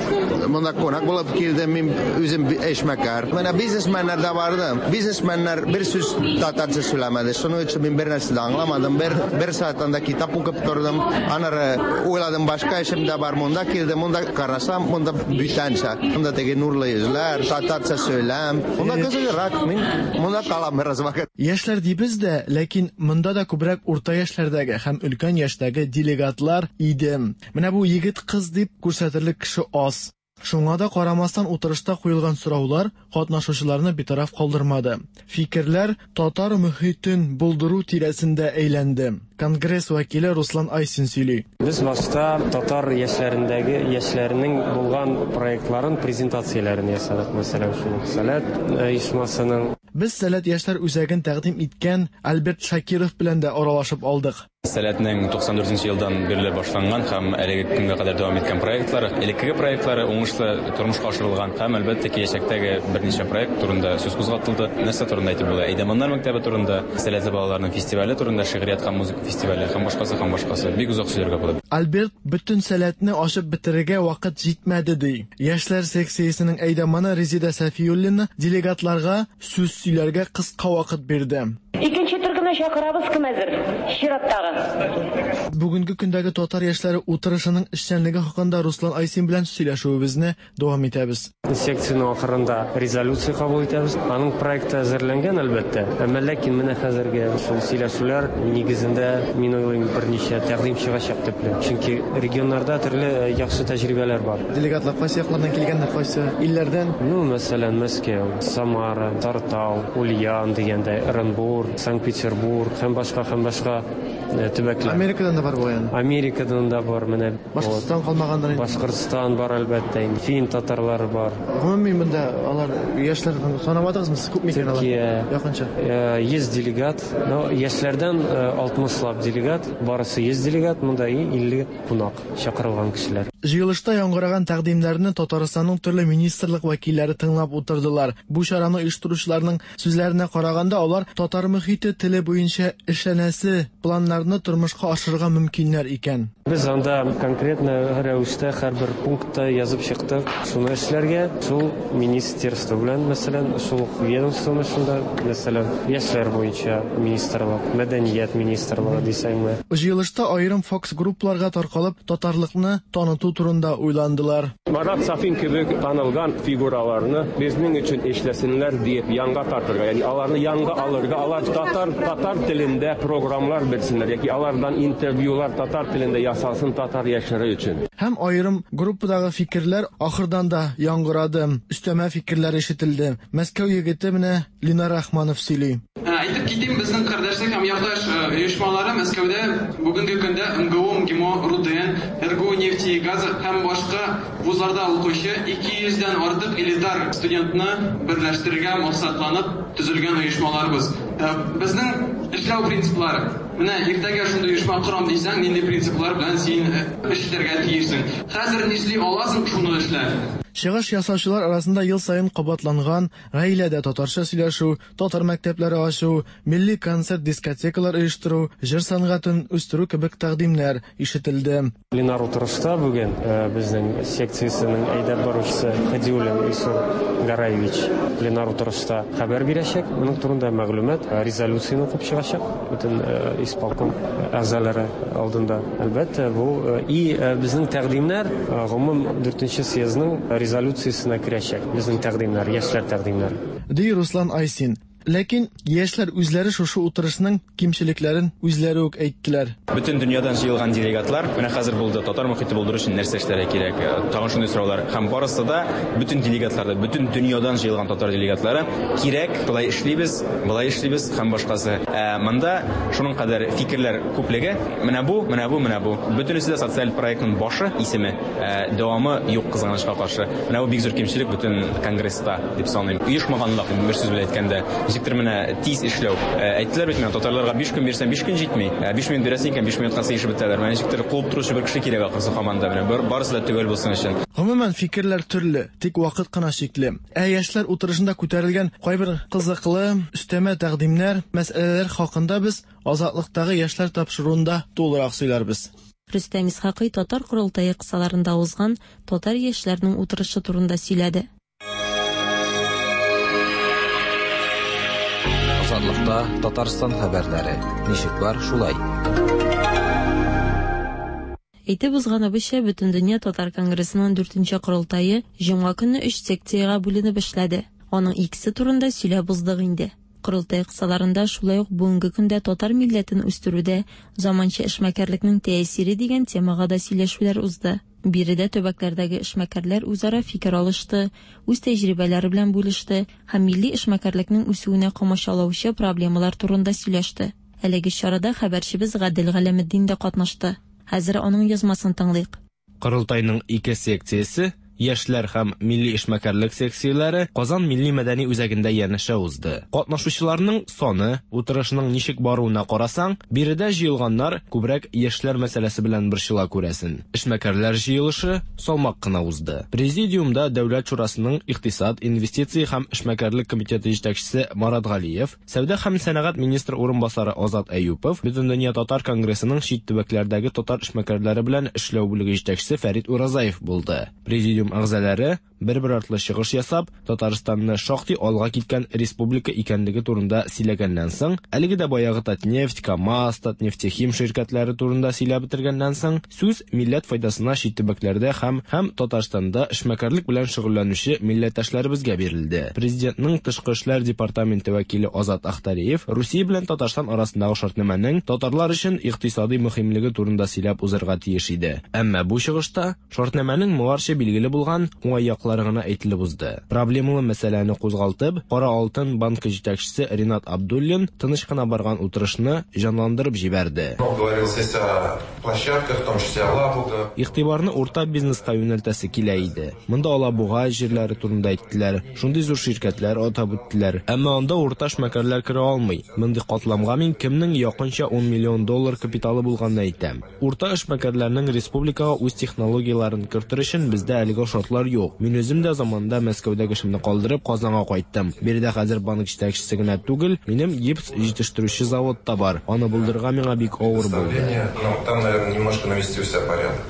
монда кунак булып килдем. Мин үзем эшмәкәр. Менә бизнесменнар да барды. Бизнесменнар бер сүз татарча сөйләмәде. Шуның өчен мин бер нәрсә дә аңламадым. Бер, бер сәгать анда китап укып тордым. Аннары уйладым, башка эшем дә бар. Монда килдем, монда карасам, монда бүтәнчә. Монда теге нурлы йөзләр, татарча сөйләм. Монда кызыграк. Мин монда калам бераз вакыт. Яшьләр дибез дә, ләкин монда да күбрәк урта яшьләрдәге һәм өлкән яшьтәге делегатлар иде. Менә бу егет-кыз дип күрсәтерлек кеше аз. Шуңа да карамастан утырышта куелган сораулар катнашучыларны битараф калдырмады. Фикерләр татар мөхитен булдыру тирәсендә әйләнде. Конгресс вәкиле Руслан Айсин сөйли. Без башта татар яшьләрендәге яшьләрнең булган проектларын презентацияләрен ясадык. Мәсәлән, шул Сәләт оешмасының. Без Сәләт яшьләр үзәген тәкъдим иткән Альберт Шакиров белән дә аралашып алдык. Сәләтнең 94 нче елдан бирле башланган һәм әлеге көнгә кадәр дәвам иткән проектлары, элеккеге проектлары уңышлы тормышка ашырылган һәм, әлбәттә, киләчәктәге берничә проект турында сүз кузгатылды. Нәрсә турында әйтеп була? Әйдәманнар мәктәбе турында, сәләтле балаларның фестивале турында, шигърият һәм музыка фестивале һәм башкасы һәм башкасы. Бик озак сөйләргә була. Альберт бөтен сәләтне ачып бетерергә вакыт җитмәде, ди. Яшьләр секциясенең әйдаманы Резеда Сәфиуллина делегатларга сүз сөйләргә кыска вакыт бирде. Икенче төркемне чакырабыз, кем әзер? Чираттагы. Бүгенге көндәге татар яшьләре утырышының эшчәнлеге хакында Руслан Айсин белән сөйләшүебезне дәвам итәбез. Секциянең ахырында резолюция кабул итәбез. Аның проекты әзерләнгән, әлбәттә. Әмма ләкин менә хәзерге шул сөйләшүләр нигезендә, мин уйлыйм, берничә тәкъдим чыгачак төпле. Чөнки регионнарда төрле яхшы тәҗрибәләр бар. Делегатлар кайсы яклардан килгәннәр, кайсы илләрдән? Ну, мәсәлән, Мәскәү, Самара, Тартау, Ульян дигәндәй, Ырынбур, Санкт-Петербург һәм башка һәм башка э, төбәкләр. Америкадан да бар бугай аны. Америкадан да бар, менә. Башкортстан калмагандыр инде. Башкортстан бар, әлбәттә инде. Фин татарлары бар. Гомумән монда алар яшьләр санамадыгызмы сез күпме икән алар? Төркия. Якынча. 100 делегат. Но яшьләрдән 60 лап делегат, барысы 100 делегат, монда и 50 кунак, чакырылган кешеләр. Җыелышта яңгыраган тәкъдимнәрне Татарстанның төрле министрлык вәкилләре тыңлап утырдылар. Бу чараны оештыручыларның сүзләренә караганда, алар татар мөхите теле буенча эшләнәсе планнарны тормышка ашырырга мөмкиннәр икән. Без анда конкретно рәвештә һәрбер пунктта язып чыктык, шуны эшләргә, шул министерство белән, мәсәлән, шул ук ведомствоны шунда, мәсәлән, яшьләр буенча министрлык, мәдәният министрлыгы дисәңме. Җыелышта аерым фокус-группаларга таркалып, татарлыкны таныту турында уйландылар. Марат Сафин кебек танылган фигураларны безнең өчен эшләсеннәр диеп янга тартырга, ягъни аларны янга алырга, алар татар татар телендә программлар бирсеннәр яки алардан интервьюлар татар телендә ясалсын татар яшьләре өчен. Һәм аерым группадагы фикерләр ахырдан да яңгырады, өстәмә фикерләр ишетелде. Мәскәү егете менә Ленар Рахманов сөйли. Әйтеп китим, безнең кардәшлек һәм якташ оешмалары Мәскәүдә бүгенге көндә МГУ, МГИМО, РУДН, РГУ нефти и газа һәм башка вузларда укучы 200 дән артык элитар студентны берләштерергә максатланып төзелгән оешмаларыбыз. Безнең эшләү принциплары. Менә иртәгә шундый оешма корам дисәң, нинди принциплар белән син эш итәргә тиешсең? Хәзер нишли аласың, шуны эшлә. Чыгыш ясаучылар арасында ел саен кабатланган гаиләдә татарча сөйләшү, татар мәктәпләре ачу, милли концерт-дискотекалар оештыру, җыр сәнгатен үстерү кебек тәкъдимнәр ишетелде. Пленар утырышта бүген безнең секциясенең әйдәп баручысы Хадиуллин Илсур Гараевич пленар утырышта хәбәр бирәчәк. Моның турында мәгълүмат, резолюцияне укып чыгачак бөтен исполком әгъзалары алдында. Әлбәттә, бу и безнең тәкъдимнәр гомум дүртенче съездның резолюциясенә керәчәк. Безнең тәкъдимнәр, яшьләр тәкъдимнәре. Ди Руслан Айсин. Ләкин яшьләр үзләре шушы утырышның кимчелекләрен үзләре үк әйттеләр. Бөтен дөньядан җыелган делегатлар, менә хәзер булды, татар мохите булдыру өчен нәрсә эшләргә кирәк, тагын шундый сораулар. Һәм барысы да, бөтен делегатлар да, бөтен дөньядан җыелган татар делегатлары, кирәк, болай эшлибез, болай эшлибез һәм башкасы. Ә монда шуның кадәр фикерләр күплеге, менә бу, менә бу, менә бу. Бөтенесе дә социаль проектның башы, исеме, ә дәвамы юк, кызганычка каршы. Менә бу бик зур кимчелек бөтен конгресста, дип саныйм. Оешмаганлык, бер сүз белән әйткәндә. Ничектер менә тиз эшләү. Әйттеләр бит миңа, татарларга 5 көн бирсәң, 5 көн җитми. 5 минут бирәсең икән, 5 минутка сыешып бетәләр. Менә ничектер куып торучы бер кеше кирәк ахрысы һаман да менә. Барысы да төгәл булсын өчен. Гомумән, фикерләр төрле, тик вакыт кына чикле. Ә яшьләр утырышында күтәрелгән кайбер кызыклы, өстәмә тәкъдимнәр, мәсьәләләр хакында без Азатлыктагы яшьләр тапшыруында тулырак сөйләрбез. Рөстәм Исхакый татар корылтае кысаларында узган татар яшьләренең утырышы турында сөйләде. Азатлыкта Татарстан хәбәрләре. Ничек бар, шулай. Әйтеп узганыбызча, Бөтендөнья татар конгрессының дүртенче корылтае җомга көнне өч секциягә бүленеп эшләде. Аның икесе турында сөйләп уздык инде. Корылтай кысаларында шулай ук бүгенге көндә татар милләтен үстерүдә заманча эшмәкәрлекнең тәэсире дигән темага да сөйләшүләр узды. Биредә төбәкләрдәге эшмәкәрләр үзара фикер алышты, үз тәҗрибәләре белән бүлеште һәм милли эшмәкәрлекнең үсүенә комачаулаучы проблемалар турында сөйләште. Әлеге чарада хәбәрчебез Гадел Галәметдин дә катнашты. Хәзер аның язмасын тыңлыйк. Корылтайның ике секциясе, яшьләр һәм милли эшмәкәрлек секцияләре Казан милли-мәдәни үзәгендә янәшә узды. Катнашучыларның саны, утырышның ничек баруына карасаң, биредә җыелганнар күбрәк яшьләр мәсьәләсе белән борчыла күрәсен. Эшмәкәрләр җыелышы салмак кына узды. Президиумда Дәүләт шурасының икътисад, инвестиция һәм эшмәкәрлек комитеты җитәкчесе Марат Галиев, Сәүдә һәм сәнәгать министры урынбасары Азат Әюпов, Бөтендөнья татар конгрессының чит төбәкләрдәге татар эшмәкәрләре белән эшләү бүлеге җитәкчесе Фәрит Уразаев булды. Президиум әгъзалары, бер-бер артлы чыгыш ясап, Татарстанны шактый алга киткән республика икәнлеге турында сөйләгәннән соң, әлеге дә баягы Татнефть, КАМАЗ, Татнефтехим ширкәтләре турында сөйләп бетергәннән соң, сүз милләт файдасына чит төбәкләрдә һәм һәм Татарстанда эшмәкәрлек белән шөгыльләнүче милләттәшләребезгә бирелде. Президентның тышкы эшләр департаменты вәкиле Азат Ахтариев Русия белән Татарстан арасындагы шартнамәнең татарлар өчен икътисадый мөһимлеге турында сөйләп узарга тиеш иде. Әмма бу чыгышта шартнамәнең моңарчы билгеле булган уңай яклары гына әйтелеп узды. Проблемалы мәсьәләне кузгалтып, Кара алтын банкы җитәкчесе Ринат Абдуллин тыныч кына барган утырышны җанландырып җибәрде. Игътибарны урта бизнеска юнәлтәсе килә иде. Монда Алабуга җирләре турында әйттеләр, шундый зур ширкәтләр атап үттеләр. Әмма анда урта эшмәкәрләр керә алмый. Мондый катламга мин кемнең якынча ун миллион доллар капиталы булганны әйтәм. Урта эшмәкәрләрнең республикага үз технологияләрен кертер өчен бездә әлегә шартлар юк. Мин үзем дә заманында Мәскәүдәге эшемне калдырып, Казанга кайттым. Биредә хәзер банк җитәкчесе генә түгел, минем гипс җитештерүче завод та бар. Аны булдырырга миңа бик авыр булды.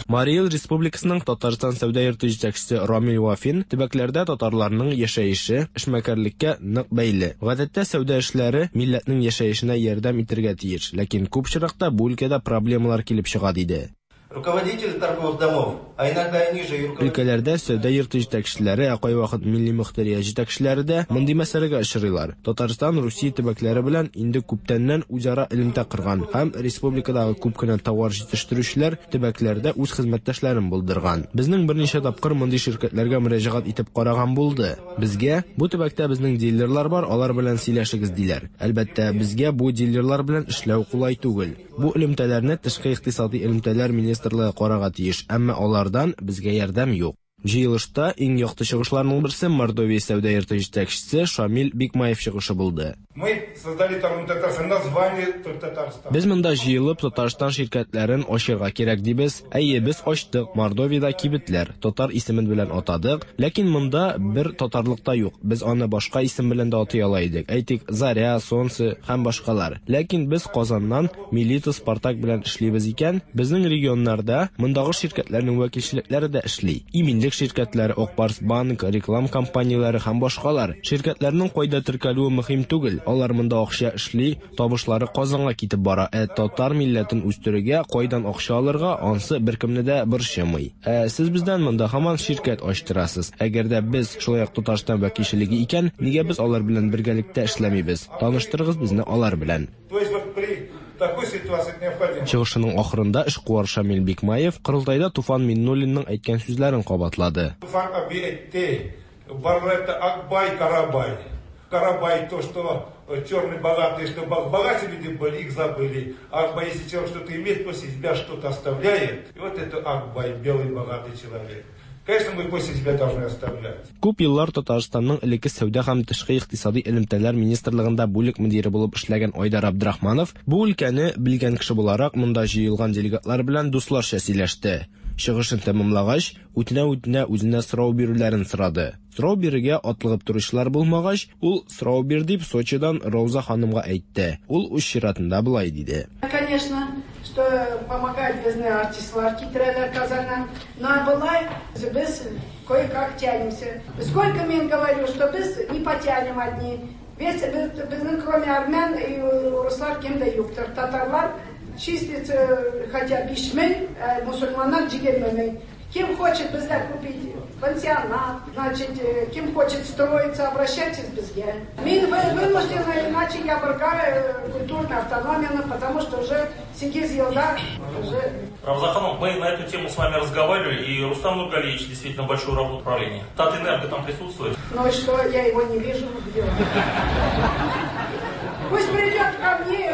Марий Эл Республикасының Татарстан сәүдә йорты җитәкчесе Рамил Вафин төбәкләрдә татарларның яшәеше эшмәкәрлеккә нык бәйле. Гадәттә сәүдә эшләре милләтнең яшәешенә ярдәм итергә тиеш, ләкин күп очракта бу өлкәдә проблемалар килеп чыга, диде. Руководители торговых домов, а иногда и ниже и Өлкәләрдә сәүдә йорты җитәкчеләре, ә кайвакыт милли мохтарият җитәкчеләре дә мондый мәсьәләгә очрыйлар. Татарстан Русия төбәкләре белән инде күптәннән үзара элемтә корган һәм республикадагы күп кенә товар җитештерүчеләр төбәкләрдә үз хезмәттәшләрен булдырган. Безнең берничә тапкыр мондый ширкәтләргә мөрәҗәгать итеп караган булды. Безгә, бу төбәктә безнең дилерлар бар, алар белән сөйләшегез, диләр. Әлбәттә, безгә бу дилерлар белән эшләү кулай түгел. Бу элемтәләрне Тышкы икътисадый элемтәләр министрлыгы карарга тиеш, әмма алардан безгә ярдәм юк. Җыелышта иң якты чыгышларның берсе Мордовия сәүдә йорты җитәкчесе Шамил Бикмаев чыгышы булды. Мы создали торговый Татарстан, название Татарстан. Без монда җыелып Татарстан ширкәтләрен ачырга кирәк дибез. Әйе, без ачтык Мордовиядә кибетләр, татар исемен белән атадык, ләкин монда бер татарлык та юк. Без аны башка исем белән дә атый ала идек, әйтик, Заря, Солнце һәм башкалар. Ләкин без Казаннан Милита, Спартак белән эшлибез икән, безнең регионнарда мондагы ширкәтләрнең вәкилчелекләре дә эшли. Иминлек ширкәтләре, Ак Барс Банк, реклам компанияләре һәм башкалар. Ширкәтләрнең кайда теркәлүе мөһим түгел, алар монда акча эшли, табышлары Казанга китеп бара, ә татар милләтен үстерергә кайдан акча алырга, ансы беркемне дә борчымый. Ә сез бездән монда һаман ширкәт ачтырасыз. Әгәр дә без шулай ук Татарстан вәкилчелеге икән, нигә без алар белән бергәлектә эшләмибез? Таныштырыгыз безне алар белән. То есть вот при такой ситуации необходимо. Чыгышының ахырында эшкуар Шамил Бикмаев корылтайда Туфан Миңнуллинның әйткән сүзләрен кабатлады. Туфан абый әйтте, барлар әйтте, Акбай, Карабай. Карабай то, что черный богатый, что богатые люди были, их забыли. Акбай, если человек что-то имеет, пусть из себя что-то оставляет. И вот это Акбай, белый богатый человек. Конечно, мы после себя должны оставлять. Күп еллар Татарстанның элекке сәүдә һәм тышкы икътисади элемтәләр министрлыгында бүлек мөдире булып эшләгән Айдар Абдрахманов бу өлкәне белгән кеше буларак монда җыелган делегатлар белән дусларча сөйләште. Чыгышын тәмамлагач, үтенә-үтенә үзенә сорау бирүләрен сорады. Сорау бирергә атлыгып торучылар булмагач, ул сорау бир дип Сочидан Рауза ханымга әйтте. Ул үз чиратында болай диде. Конечно, что помогают безне артистлар китерәләр Казаннан. Но болай без кое-как тянемся. Сколько мин говорю, что без не потянем одни. Весь безнең кроме армян и урыслар кем дә юктыр. Татарлар числится хотя 5000, мусульманнар 20 мең. Кем хочет бездә купить пансионат, значит, кем хочет строиться, обращайтесь безгә. Мин вынуждена, иначе я ябырга культурная автономия, потому что уже 8 елда уже... Рамзан ханум, мы на эту тему с вами разговаривали, и Рустам Нургалиевич действительно большую работу управления. Татэнерго там присутствует. Ну и что, я его не вижу, где он? Пусть придет ко мне,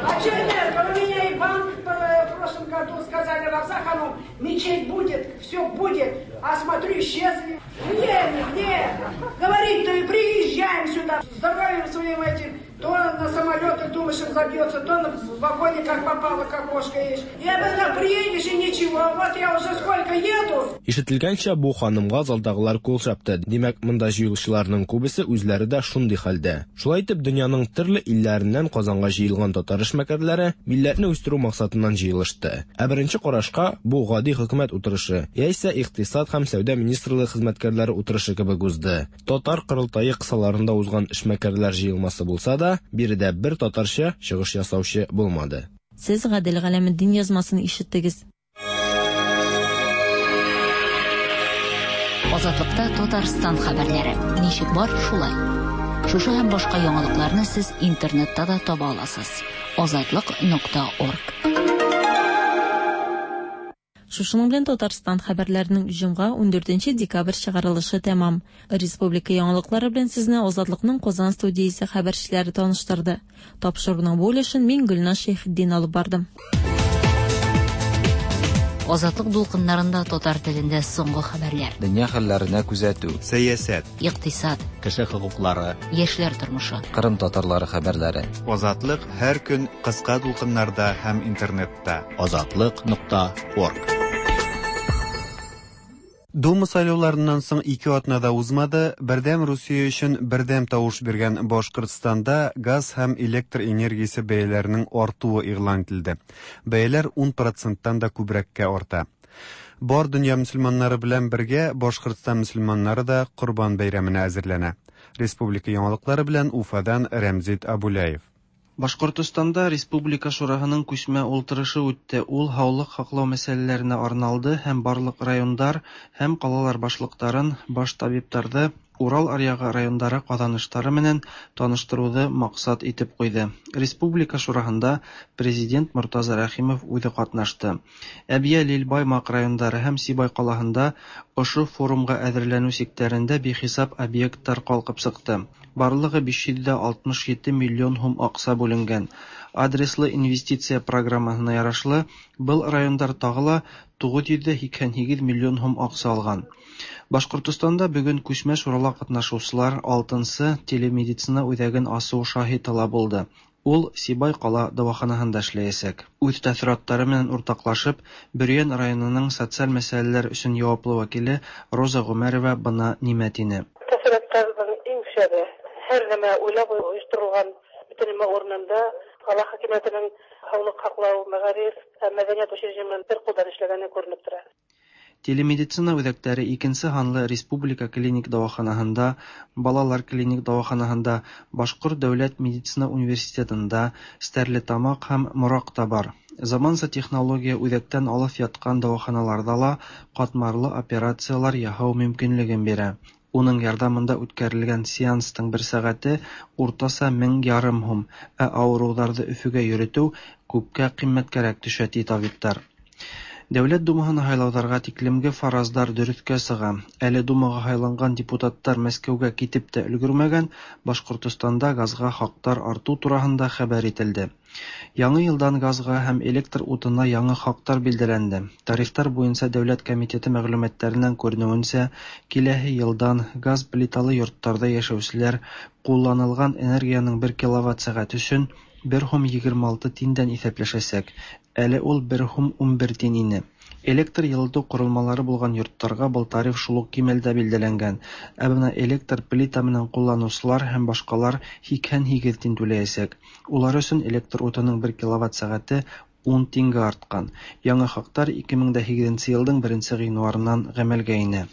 А что энерго? У меня и банк в прошлом году сказали, Равза ханум, мечеть будет, все будет, а смотрю, исчезли. Где они, где? Говорить-то и приезжаем сюда, здоровьем своим этим, то на самолетах думаешь, он забьется, то в вагоне как попало, как кошка есть. Я бы приедешь и ничего, вот я уже сколько еду. Ишетелгәнчә, бу ханымга залдагылар кул чапты. Димәк, монда җыелучыларның күбесе үзләре дә шундый хәлдә. Шулай итеп, дөньяның төрле илләреннән Казанга җыелган татар эшмәкәрләре милләтне үстерү максатыннан җыелышты. Ә беренче карашка бу гади хөкүмәт утырышы, яисә икътисад һәм сәүдә министрлыгы хезмәткәрләре утырышы кебек узды. Татар корылтае кысаларында узган эшмәкәрләр җыелмасы булса да, биредә бер татарча чыгыш ясаучы булмады. Сез Гадел Галәметдин язмасын ишеттегез. Азатлыкта Татарстан хәбәрләре. Ничек бар, шулай. Шушы һәм башка яңалыкларны сез интернетта да таба аласыз. Азатлык.орг. Шушының белән Татарстан хәбәрләренең җомга 14 декабрь чыгарылышы тәмам. Республика яңалыклары белән сезне Азатлыкның Казан студиясе хәбәрчеләре таныштырды. Тапшыруның бу өлешен мин Гөлназ Шәйхетдин алып бардым. Азатлык дулкыннарында татар телендә соңгы хәбәрләр. Дөнья хәлләренә күзәтү. Сәясәт. Икътисад. Кеше хокуклары. Яшьләр тормышы. Кырым татарлары хәбәрләре. Азатлык һәр көн кыска дулкыннарда һәм интернетта. Азатлык.орг. Дума сайлауларыннан соң 2 атна да узмады, Бердәм Русия өчен бердәм тавыш биргән Башкортстанда газ һәм электр энергиясе бәяләренең артуы игълан ителде. Бәяләр 10%-тан да күбрәккә арта. Бар дөнья мөселманнары белән бергә Башкортстан мөселманнары да Корбан бәйрәменә әзерләнә. Республика яңалыклары белән Уфадан Рәмзит Абуляев. Башкортостанда Республика Шураһының күчмә ултырышы үтте. Ул һаулык һаклау мәсьәләләренә арналды һәм барлык райондар һәм калалар башлыктарын, баш табиптарҙы Урал аръягы райондары ҡаҙаныштары менән таныштырыуҙы маҡсат итеп ҡуйҙы. Республика Шураһында президент Мортаза Рәхимов үҙе ҡатнашты. Әбйәлил, Баймаҡ райондары һәм Сибай ҡалаһында ошо форумға әҙерләнеү сиктәрендә бихисап объекттар ҡалҡып сыҡты. Барлығы 567 миллион һум аҡса бүленгән. Адреслы инвестиция программаһына ярашлы, был райондар тағы ла 988 миллион һум аҡса алған. Башҡортостанда бөгөн күсмә шурала ҡатнашыусылар 6-нсы телемедицина үҙәген асыу шаһиты ла булды. Ул Сибай ҡала дауаханаһында эшләйәсәк. Үҙ тәьҫораттары менән уртаҡлашып, Бөрйән районының социаль мәсьәләләр өсөн яуаплы вәкиле Роза Ғүмәрова бына нимә тине. Тәьҫораттарҙың иң шәбе һәр нәмә уйлап ойошторолған бөтөн нәмә урынында ҡала хакимиәтенең һаулыҡ һаҡлау, мәғариф һәм мәҙәниәт учреждениеләрен бер ҡулдан эшләгәне күренеп тора. Телемедицина үҙәктәре 2-нсе һанлы Республика клиник дауаханаһында, Балалар клиник дауаханаһында, Башҡорт дәүләт медицина университетында, Стәрлетамаҡ һәм Мораҡта бар. Заманса технология үҙәктән алыҫ ятҡан дауаханаларҙа ла ҡатмарлы операциялар яһау мөмкинлеген бирә. Уның ярҙамында үткәрелгән сеанстың бер сәғәте уртаса 1500 һум, ә ауырыуҙарҙы Өфөгә йөрөтөү күпкә ҡиммәткәрәк төшә, ти табиптар. Дәүләт Думаһына һайлауҙарға тиклемге фараздар дөрөҫкә сыға. Әле Думаға һайланған депутаттар Мәскәүгә китеп тә өлгөрмәгән, Башҡортостанда газға хаҡтар артыу тураһында хәбәр ителде. Яңы йылдан газға һәм электр утына яңы хаҡтар билдәләнде. Тарифтар буйынса дәүләт комитеты мәғлүмәттәренән күренеүенсә, киләһе йылдан газ плиталы йорттарҙа йәшәүселәр ҡулланылған энергияның 1 киловатт сәғәт өсөн 1 һум 26 тиндән иҫәпләшәсәк. Әле ул 1 һум 11 тин ине. Электр йылытыу ҡоролмалары булған йорттарға был тариф шул уҡ кимәлдә билдәләнгән. Ә бына электр плита менән ҡулланыусылар һәм башҡалар 88 тин түләйәсәк. Улар өсөн электр утының 1 киловатт сәғәте 10 тингә артҡан. Яңы хаҡтар 2008 йылдың 1 ғинуарынан ғәмәлгә инә.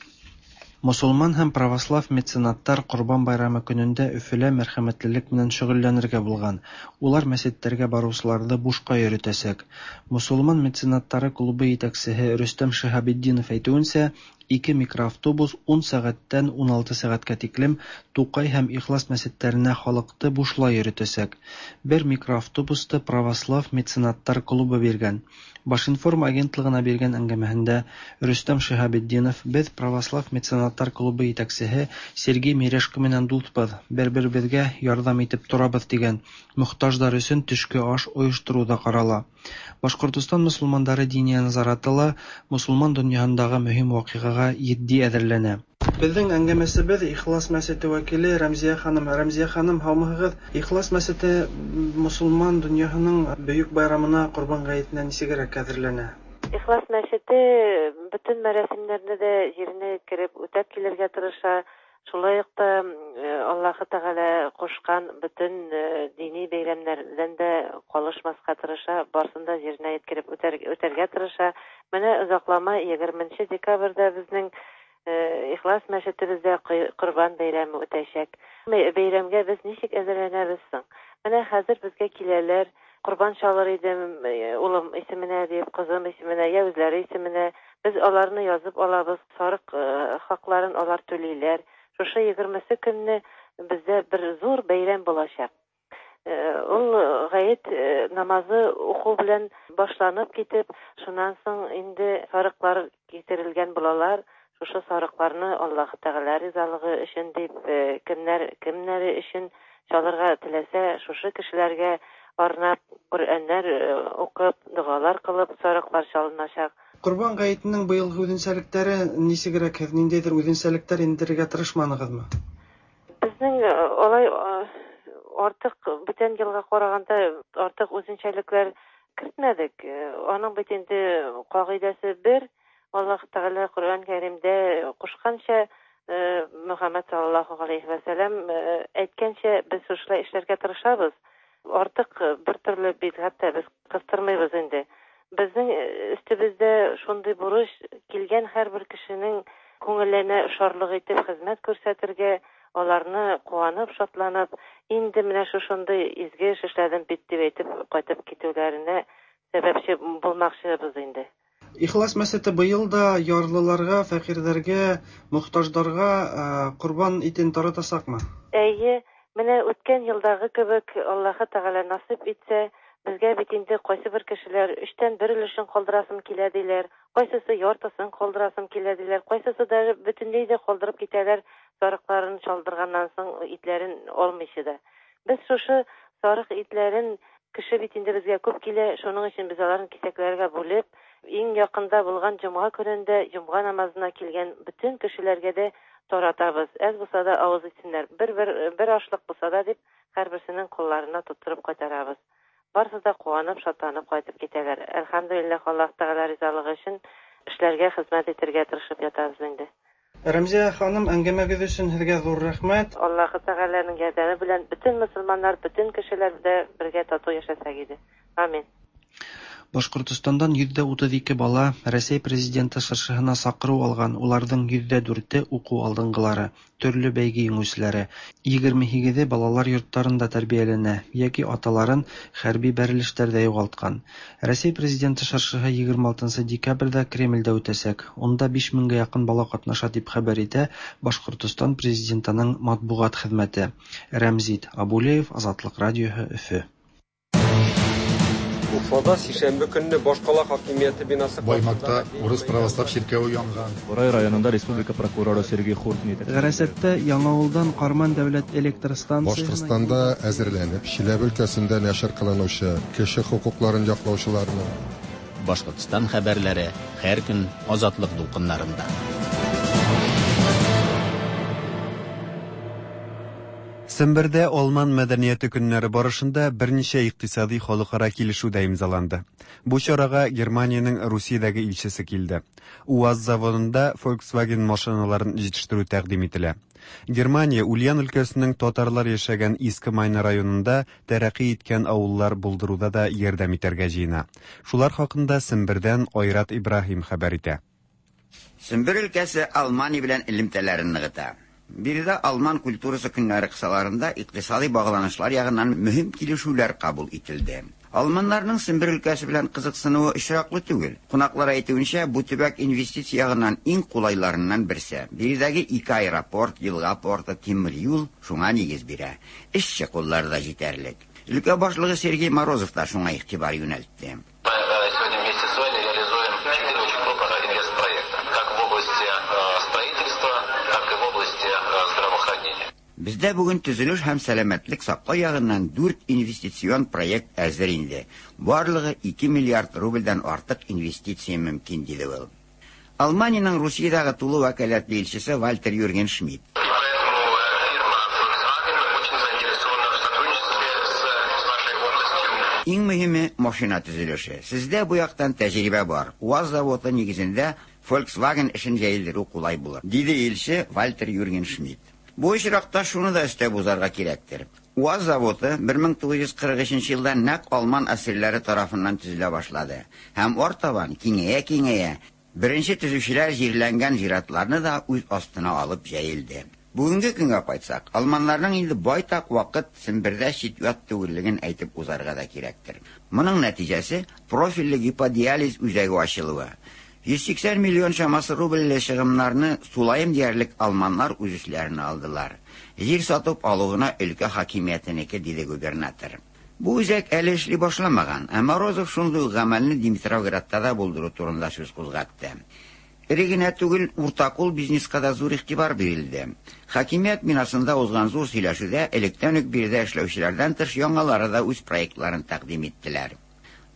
Мосолман һәм православ меценаттар Ҡорбан байрамы көнөндә Өфөлә мәрхәмәтлелек менән шөғөлләнергә булған. Улар мәсеттәргә барыусыларҙы бушҡа йөрөтәсәк. Мосолман меценаттары клубы етәксеһе Рөстәм Шиһабетдинов әйтеүенсә, ике микроавтобус 10 сәғәттән 16 сәғәткә тиклем Туҡай һәм Ихлас мәсеттәренә халыҡты бушлай йөрөтәсәк. Бер микроавтобусты православ меценаттар клубы биргән. Башинформ агентлығына биргән әңгәмәһендә Рөстәм Шиһабетдинов: "Беҙ православ меценаттар клубы етәксеһе Сергей Мережко менән дуҫбыҙ, бер-беребеҙгә ярҙам итеп торабыҙ", тигән. Мохтаждар өсөн төшкө аш ойоштороу ҙа ҡарала. Башҡортостан мосолмандары диния назараты ла мосолман донъяһындағы мөһим ваҡиғаға етди әҙерләнә. Беҙҙең әңгәмәсебеҙ Ихлас мәсете вәкиле Рәмзиә ханым. Рәмзиә ханым, һаумыһығыҙ? Ихлас мәсете мосолман донъяһының бөйөк байрамына, Ҡорбан ғәйетенә нисегерәк әҙерләнә? Ихлас мәсете бөтөн мәрәсимдәрҙе лә еренә еткереп үтәп килергә тырыша. Шулай уҡ та Аллаһы Тәғәлә ҡушҡан бөтөн дини бәйрәмдәрҙән дә ҡалышмаҫҡа тырыша, барысын да еренә еткереп үтәргә тырыша. Менә оҙаҡламай 20 декабрҙә беҙҙең Ихлас мәсетебеҙҙә Ҡорбан бәйрәме үтәсәк. Бәйрәмгә беҙ нисек әҙерләнәбеҙ һуң? Менә хәҙер беҙгә киләләр, ҡорбан чалыр идем, улым исеменә дип, ҡыҙым исеменә, йә үҙләре исеменә. Беҙ аларны яҙып алабыҙ, сарыҡ хаҡларын алар түләйләр. Шушы 20 көнне беҙҙә бер ҙур бәйрәм буласаҡ. Ул ғәйет намазы уҡыу белән башланып китеп, шунан һуң инде сарыҡлар китерелгән булалар. Шушы сарыҡларны Аллаһ Тәғәлә ризалығы өсөн дип, кемдәр кемдәре өсөн чалырға теләсә, шушы кешеләргә арнап Ҡөрьәннәр уҡып, доғалар ҡылып сарыҡлар чалынасаҡ. Ҡорбан ғәйетенең быйылғы үҙенсәлектәре нисегерәк? Һеҙ ниндәйҙер үҙенсәлектәр индерергә тырышманығыҙмы? Беҙҙең алай артыҡ бүтән йылға ҡарағанда артыҡ үҙенсәлектәр кертмәҙек. Аның бит инде ҡағиҙәсе бер. Аллаһ Тәғәлә Ҡөрьән Кәримдә ҡушҡанса, Мөхәммәд саллаллаһу ғәләйһи вә сәләм әйткәнсә, беҙ шушылай эшләргә тырышабыҙ. Артыҡ бер төрлө бидғәт тә беҙ ҡыҫтырмайбыҙ инде. Беҙҙең өҫтөбөҙҙә шундай бурыс килгән һәр бер кешенең күңеленә шарлыҡ итеп хеҙмәт күрһәтергә, аларны ҡыуанып, шатланып, инде менә шушындай изге эш эшләдем бит дип әйтеп ҡайтып китеүҙәренә сәбәпсе булмаҡсыбыҙ инде. Ихлас мәсете быйыл да ярлыларға, фәҡирҙәргә, мохтаждарға ҡорбан итен таратасаҡмы? Эйе, менә үткән йылдағы кебек Аллаһы Тәғәлә насип итсә, беҙгә бит инде ҡайсы бер кешеләр өстән бер өлөшөн ҡалдырасым килә тиләр, ҡайсыһы яртысын ҡалдырасым килә тиләр, ҡайсыһы даже бөтөнләй ҙә ҡалдырып китәләр, сарыҡларын чалдырғаннан һуң итләрен алмыйсы да. Беҙ шушы сарыҡ итләрен кеше бит инде беҙгә күп килә, шуның өсөн беҙ аларын киҫәкләргә бүлеп, иң яҡында булған йомға көнөндә йомға намазына килгән бөтөн кешеләргә дә таратабыҙ. Әҙ булһа да ауыҙ итһендәр, бер ашлыҡ булһа да тип һәр береһенең ҡулларына тотороп ҡайтарабыҙ. Барыһы да ҡыуанып, шатланып ҡайтып китәләр. Әлхәмдүлилләһ, Аллаһ Тәғәлә ризалығы өсөн эшләргә, хеҙмәт итергә тырышып ятабыҙ инде. Рәмзиә ханым, әңгәмәгеҙ өсөн һеҙгә ҙур рәхмәт. Аллаһ Тәғәләнең ярҙамы белән бөтөн мосолмандар, бөтөн кешеләр дә бергә татыу йәшәсәк ине. Амин. Башҡортостандан 32% бала Рәсәй президенты шыршыһына саҡырыу алған, уларҙың 4% уҡыу алдынғылары, төрлө бәйге еңеүселәре, 28-е балалар йорттарында тәрбиәләнә йәки аталарын хәрби бәрелештәрҙә юғалтҡан. Рәсәй президенты шыршыһы 26 декабрҙә Кремлдә үтәсәк. Унда 5000-гә яҡын бала ҡатнаша тип хәбәр итә Башҡортостан президентының матбуғат хеҙмәте. Рәмзит Абулеев, Азатлыҡ радиоһы, Өфө. Уфада сишәмбе көнне башкала хакимияте бинасы Баймакта урыс православ чиркәве янган. Борай районында республика прокуроры Сергей Хуртин итәкчелегендәге Гарасаттә Яңавылдан Карман дәүләт электр станциясенә Башкортстанда әзерләнеп, Чиләбе өлкәсендә нәшер кылынучы кеше хокукларын яклаучыларның Башкортстан хәбәрләре һәр көн Азатлык дулкыннарында. Сембердә Алман мәдәнияте көннәре барышында берничә икътисади халыкара килешү дә имзаланды. Бу чарага Германиянең Русиядәге илчесе килде. УАЗ заводында Volkswagen машиналарын җитештерү тәкъдим ителә. Германия Ульян өлкәсенең татарлар яшәгән Иске Майна районында тәрәкъи иткән авыллар булдыруда да ярдәм итәргә җыена. Шулар хакында Сембердән Айрат Ибраһим хәбәр итә. Сембер өлкәсе Алмания белән элемтәләрен ныгыта. Биредә Алман культурасы көннәре кысаларында икътисади багланышлар ягыннан мөһим килешүләр кабул ителде. Алманнарның Сембер өлкәсе белән кызыксынуы очраклы түгел. Кунаклар әйтүенчә, бу төбәк инвестиция ягыннан иң кулайларыннан берсе. Биредәге ике аэропорт, елга порты, тимер юл шуңа нигез бирә. Эшче куллар да җитәрлек. Өлкә башлыгы Сергей Морозов та шуңа игътибар юнәлтте. Сегодня вместе с вами реализуем четыре очень крупных инвестпроекта, как в области строительства, так и в области здравоохранения. Бездә бүген төзелеш һәм сәламәтлек саклау ягыннан 4 инвестицион проект әзер инде. Барлыгы 2 миллиард рубльдән артык инвестиция мөмкин, диде ул. Алманиянең Русиядәге тулы вәкаләтле илчесе Вальтер Юрген Шмидт. Иң мөһиме машина төзелеше. Сездә бу яктан тәҗрибә бар. УАЗ заводы нигезендә Volkswagen эшен җәелдерү кулай булыр, диде илче Вальтер Юрген Шмидт. Бу очракта шуны да өстәп узарга кирәктер. УАЗ заводы 1943 елда нәкъ алман әсирләре тарафыннан төзелә башлады һәм артабан киңәя-киңәя беренче төзүчеләр җирләнгән зиратларны да үз астына алып җәелде. Бүгенге көнгә кайтсак, алманнарның инде байтак вакыт Сембердә чит-ят түгеллеген әйтеп узарга да кирәктер. Моның нәтиҗәсе профильле гиподиализ үзәге ачылуы. 180 миллион чамасы рубльле чыгымнарны тулаем диярлек алманнар үз өсләренә алдылар. Җир сатып алу гына өлкә хакимиятенеке, диде губернатор. Бу үзәк әле эшли башламаган, ә Морозов шундый ук гамәлне Димитровградта да булдыру турында сүз кузгатты. Эре генә түгел, уртакул бизнеска да зур игътибар бирелде. Хакимият бинасында узган зур сөйләшүдә электән үк биредә эшләүчеләрдән тыш яңалары да үз проектларын тәкъдим иттеләр.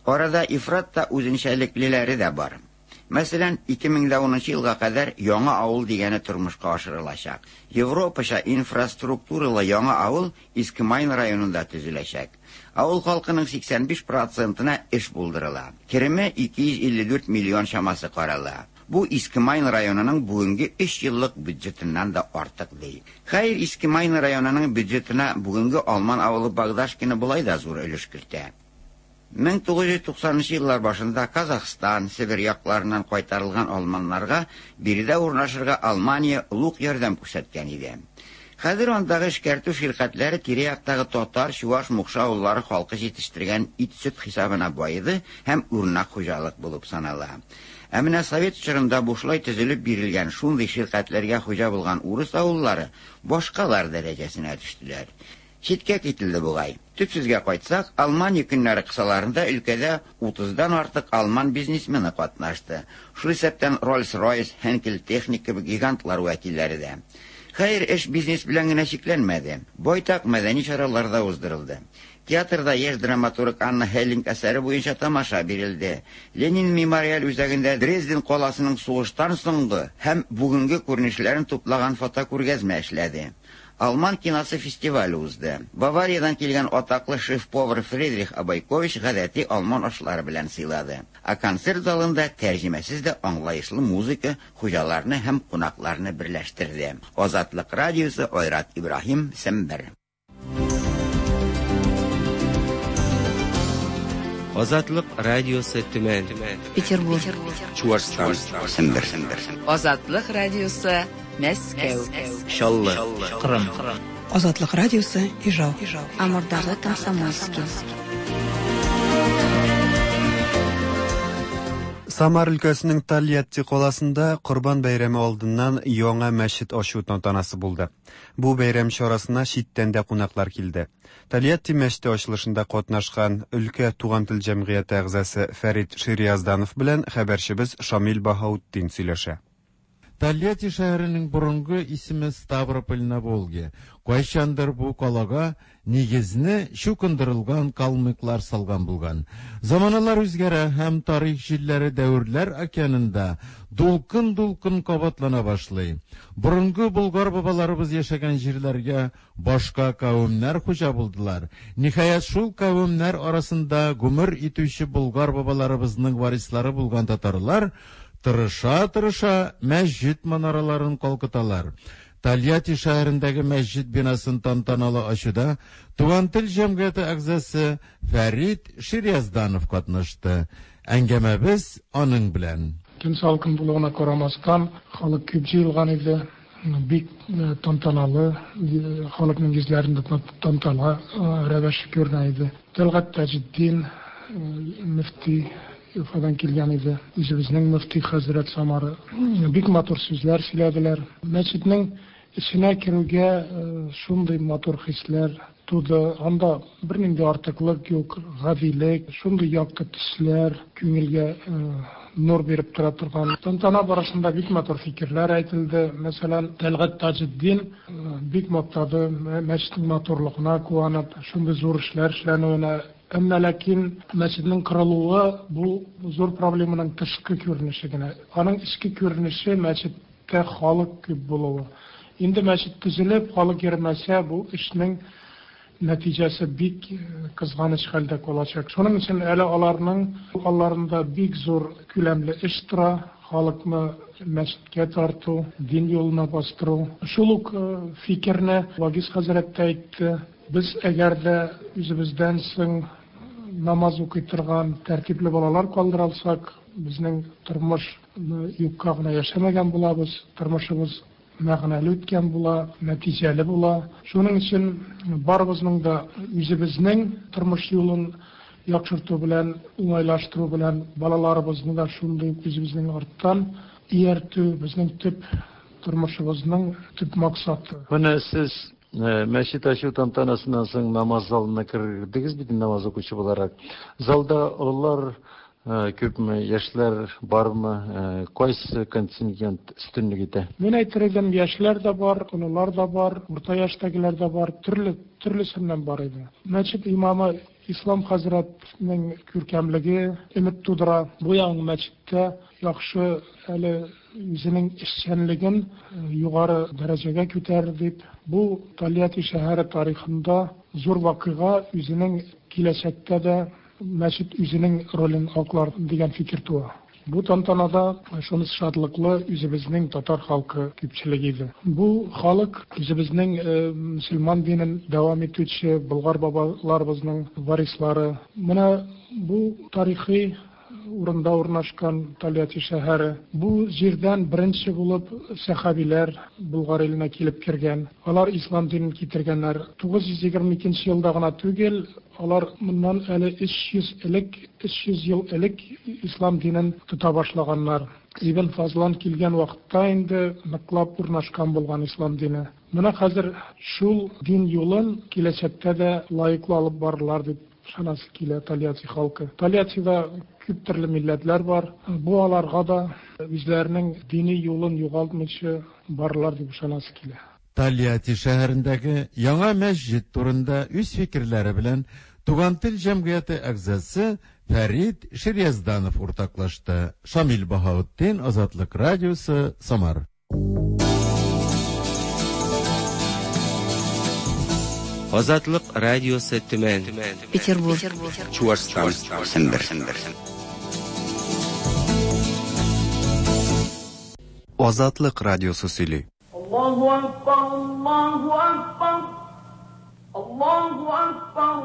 Арада ифрат та үзенчәлеклеләре дә бар. Мәсәлән, 2010 елга кадәр яңа авыл дигәне тормышка ашырылачак. Европача инфраструктуралы яңа авыл Иске Майн районында төзеләчәк. Авыл халкының 85 процентына эш булдырыла. Кереме 254 миллион чамасы карала. Бу Иске Майн районының бүгенге 3 еллык бюджетыннан да артык ди. Хәер, Иске Майн районының бюджетына бүгенге алман авылы Богдашкино болай да зур өлеш кертә. 1990 еллар башында Казахстан, Себер якларыннан кайтарылган алманнарга биредә урнашырга Алмания олуг ярдәм күрсәткән иде. Хәзер андагы эшкәртү ширкәтләре тирә-яктагы татар, чуваш, мукшы авыллары халкы җитештергән ит-сөт хисабына баеды һәм үрнәк хуҗалык булып санала. Ә менә совет чорында бушлай төзелеп бирелгән шундый ширкәтләргә хуҗа булган урыс авыллары башкалар дәрәҗәсенә төштеләр. Читкә кителде бугай. Төп сүзгә кайтсак, Алмания көннәре кысаларында өлкәдә 30-дан артык алман бизнесмены катнашты. Шул исәптән Rolls-Royce, Henkel Technik кебек гигантлар вәкилләре дә. Хәер, эш бизнес белән генә чикләнмәде. Байтак мәдәни чаралар да уздырылды. Театрда яшь драматург Анна Хеллинг әсәре буенча тамаша бирелде. Ленин мемориаль үзәгендә Дрезден каласының сугыштан соңгы һәм бүгенге күренешләрен туплаган фотокүргәзмә эшләде. Алман киносы фестивале узды. Бавариядән килгән атаклы шеф-повар Фридрих Абайкович гадәти алман ашлары белән сыйлады. Ә концерт залында тәрҗемәсез дә аңлаешлы музыка хуҗаларны һәм кунакларны берләштерде. Азатлык радиосы Айрат Ибраһим, Сембер. Азатлык радиосы Төмән. Петербург. Чуашстан. Сембер. Азатлык радиосы Мәскәү. Чаллы. Кырым. Азатлык радиосы Ижау. Амурдагы Комсомольский. Самар өлкәсенең Тольятти каласында Корбан бәйрәме алдыннан яңа мәчет ачу тантанасы булды. Бу бәйрәм чарасына читтән дә кунаклар килде. Тольятти мәчете ачылышында катнашкан өлкә Туган тел җәмгыяте әгъзасы Фәрит Шириязданов белән хәбәрчебез Шамил Баһаутдин сөйләшә. Тольятти шәһәренең борынгы исеме Ставрополь на Волге. Кайчандыр бу калага нигезне чукындырылган калмыклар салган булган. Заманалар үзгәрә һәм тарих җилләре дәверләр океанында дулкын-дулкын кабатлана башлый. Борынгы болгар бабаларыбыз яшәгән җирләргә башка кавемнәр хуҗа булдылар. Ниһаять, шул кавемнәр арасында гомер итүче болгар бабаларыбызның варислары булган татарлар тырыша-тырыша мәсҗид манараларын калкыталар. Тольятти шәһәрендәге мәсҗид бинасын тантаналы ачуда Туган тел җәмгыяте әгъзасы Фәрит Шириязданов катнашты. Әңгәмәбез аның белән. Көн салкын булуына карамастан, халык күп җыелган иде. Бик тантаналы, халыкның йөзләрендә тантана рәвеше күренә иде. Тәлгать Таҗетдин мөфти Уфадан килгән иде. Үзебезнең мөфти хәзрәт Самара. Бик матур сүзләр сөйләделәр. Мәчетнең эченә керүгә шундый матур хисләр туды. Анда бернинди артыклык юк, гадилек, шундый якты төсләр, күңелгә нур биреп тора торган. Тантана барышында бик матур фикерләр әйтелде. Мәсәлән, Тәлгать Таҗетдин бик мактады, мәчетнең матурлыгына куанып, шундый зур эшләр эшләнүенә. Әмма ләкин мәчетнең корылуы бу зур проблеманың тышкы күренеше генә. Аның эчке күренеше мәчеттә халык күп булуы. Инде мәчет төзелеп, халык йөрмәсә, бу эшнең нәтиҗәсе бик кызганыч хәлдә калачак. Шуның өчен әле аларның алларында бик зур күләмле эш тора, халыкны мәчеткә тарту, дин юлына бастыру. Шул ук фикерне Вагиз хәзрәт тә әйтте. Без әгәр дә үзебездән соң намаз укый торган тәртипле балалар калдыра алсак, безнең тормыш юкка гына яшәмәгән булабыз, тормышыбыз мәгънәле үткән була, нәтиҗәле була. Шуның өчен барыбызның да үзебезнең тормыш юлын яхшырту белән, уңайлаштыру белән балаларыбызны да шундый ук үзебезнең арттан ияртү безнең төп тормышыбызның төп максаты. Менә сез мәчет ачу тантанасыннан соң намаз залына кердегез бит намаз укучы буларак. Залда олылар күпме, яшьләр бармы, кайсы контингент өстенлек итә? Мин әйтер идем, яшьләр дә бар, олылар да бар, урта яшьтәгеләр дә бар, төрле, төрлесеннән бар иде. Мәчет имамы Ислам хәзрәтнең күркәмлеге өмет тудыра. Бу яңа мәчеттә яхшы әле үзенең эшчәнлеген югары дәрәҗәгә күтәрер дип, бу Тольятти шәһәре тарихында зур вакыйга, үзенең киләчәктә дә мәчет үзенең ролен аклар дигән фикер туа. Бу тантанада шунысы шатлыклы, үзебезнең татар халкы күпчелек иде. Бу халык үзебезнең мөселман динен дәвам итүче болгар бабаларыбызның варислары. Менә бу тарихи урында урнашкан Тольятти шәһәре. Бу җирдән беренче булып сәхабиләр Болгар иленә килеп кергән. Алар ислам динен китергәннәр. 922 елда гына түгел, алар моннан әле 300 элек, 300 ел элек ислам динен тота башлаганнар. Ибн Фазлан килгән вакытта инде ныклап урнашкан булган ислам дине. Менә хәзер шул дин юлын киләчәктә дә лаеклы алып барырлар дип ышанасы килә Тольятти халкы. Тольяттида күп төрле милләтләр бар. Бу аларга да үзләренең дини юлын югалтмыйча барырлар дип ышанасы килә. Тольятти шәһәрендәге яңа мәсҗид турында үз фикерләре белән Туган тел җәмгыяте әгъзасы Фәрит Шириязданов уртаклашты. Шамил Баһаутдин, Азатлык радиосы, Самар. Азатлык радиосы Төмән. Петербург. Чуашстан. Сембер. Азатлык радиосы сөйли. Аллаһу акбар, Аллаһу акбар, Аллаһу акбар,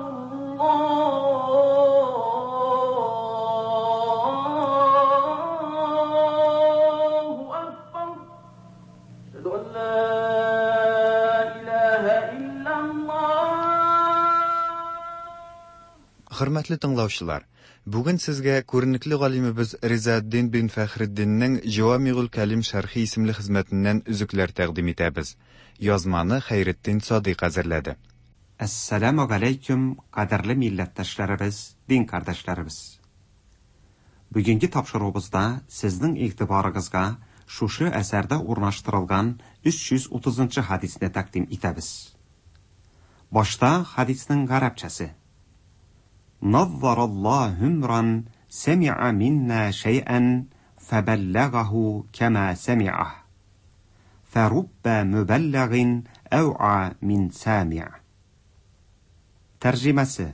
Аллаһу акбар. Әшһәду ан ла илаһа иллаллаһ. Хөрмәтле тыңлаучылар, бүген сезгә күренекле галимебез Ризаэддин бин Фәхретдиннең Җавамигуль Кәлим шәрхи исемле хезмәтеннән өзекләр тәкъдим итәбез. Язманы Хәйретдин Садыйк әзерләде. Әссәламү галәйкүм, кадерле милләттәшләребез, дин кардәшләребез! Бүгенге тапшыруыбызда сезнең игътибарыгызга шушы әсәрдә урнаштырылган 330 нчы хәдисне тәкъдим итәбез. Башта хәдиснең гарәпчәсе. Наззараллаһу имран сәми'a минна шәй'ән фәбәлләгаһу кәма сәми'аһ. Фәруббә мөбәлләгин әү'a мин сәми'ь. Тәрҗемәсе.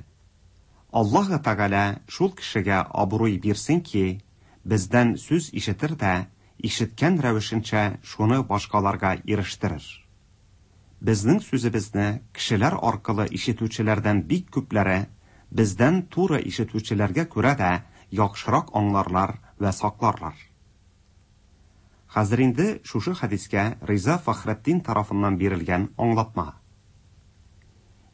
Аллаһы Тәгалә шул кешегә абруй бирсен ки, бездән сүз ишетер дә, ишеткән рәвешенчә шуны башкаларга ирештерер. Безнең сүзебезне кешеләр аркылы ишетүчеләрдән бик күпләре бездән туры ишетүчеләргә күрә дә яхшырак аңларлар вә сакларлар. Хәзер инде шушы хәдискә Риза Фәхретдин тарафыннан бирелгән аңлатма.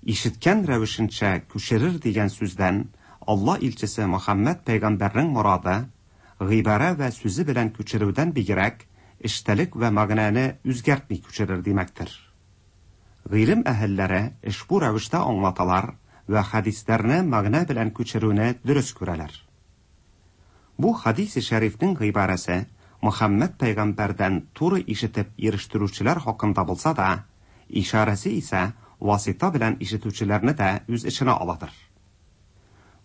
Ишеткән рәвешенчә күчерер дигән сүздән Алла илчесе Мөхәммәд пәйгамбәрнең морады, гыйбарә вә сүзе белән күчерүдән бигрәк, эчтәлек вә мәгънәне үзгәртми күчерер димәктер. Гыйлем әһелләре ошбу рәвештә аңлаталар вә хәдисләрне мәгънә белән күчерүне дөрес күрәләр. Бу хәдисе шәрифнең гыйбарәсе Мөхәммәд пәйгамбәрдән туры ишетеп ирештерүчеләр хакында булса да, ишарәсе исә васита белән ишетүчеләрне дә үз эченә аладыр.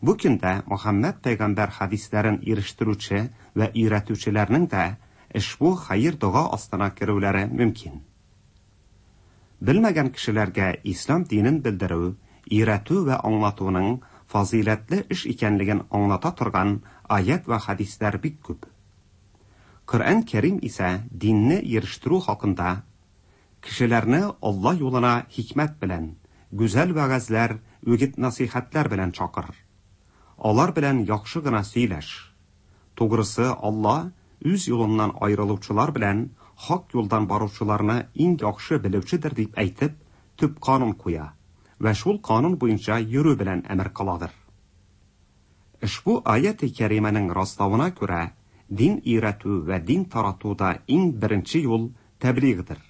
Бу көндә Мөхәммәд пәйгамбәр хәдисләрен ирештерүче вә өйрәтүчеләрнең дә ошбу хәер-дога астына керүләре мөмкин. Белмәгән кешеләргә ислам динен белдерү, өйрәтү вә аңлатуның фазыйләтле эш икәнлеген аңлата торган аять вә хәдисләр бик күп. Коръән Кәрим исә динне ирештерү хакында, Кешеләрне Алла юлына хикмәт белән, гүзәл вәгазьләр, үгет-насыйхәтләр белән чакыр. Алар белән яхшы гына сөйләш. Тугрысы, Алла үз юлыннан аерылучылар белән хак юлдан баручыларны иң яхшы белүчедер дип әйтеп, төп канун куя вә шул канун буенча йөрү белән әмер кыладыр. Ошбу аяте кәримәнең раславына күрә, дин өйрәтү вә дин таратуда иң беренче юл тәблигъдыр,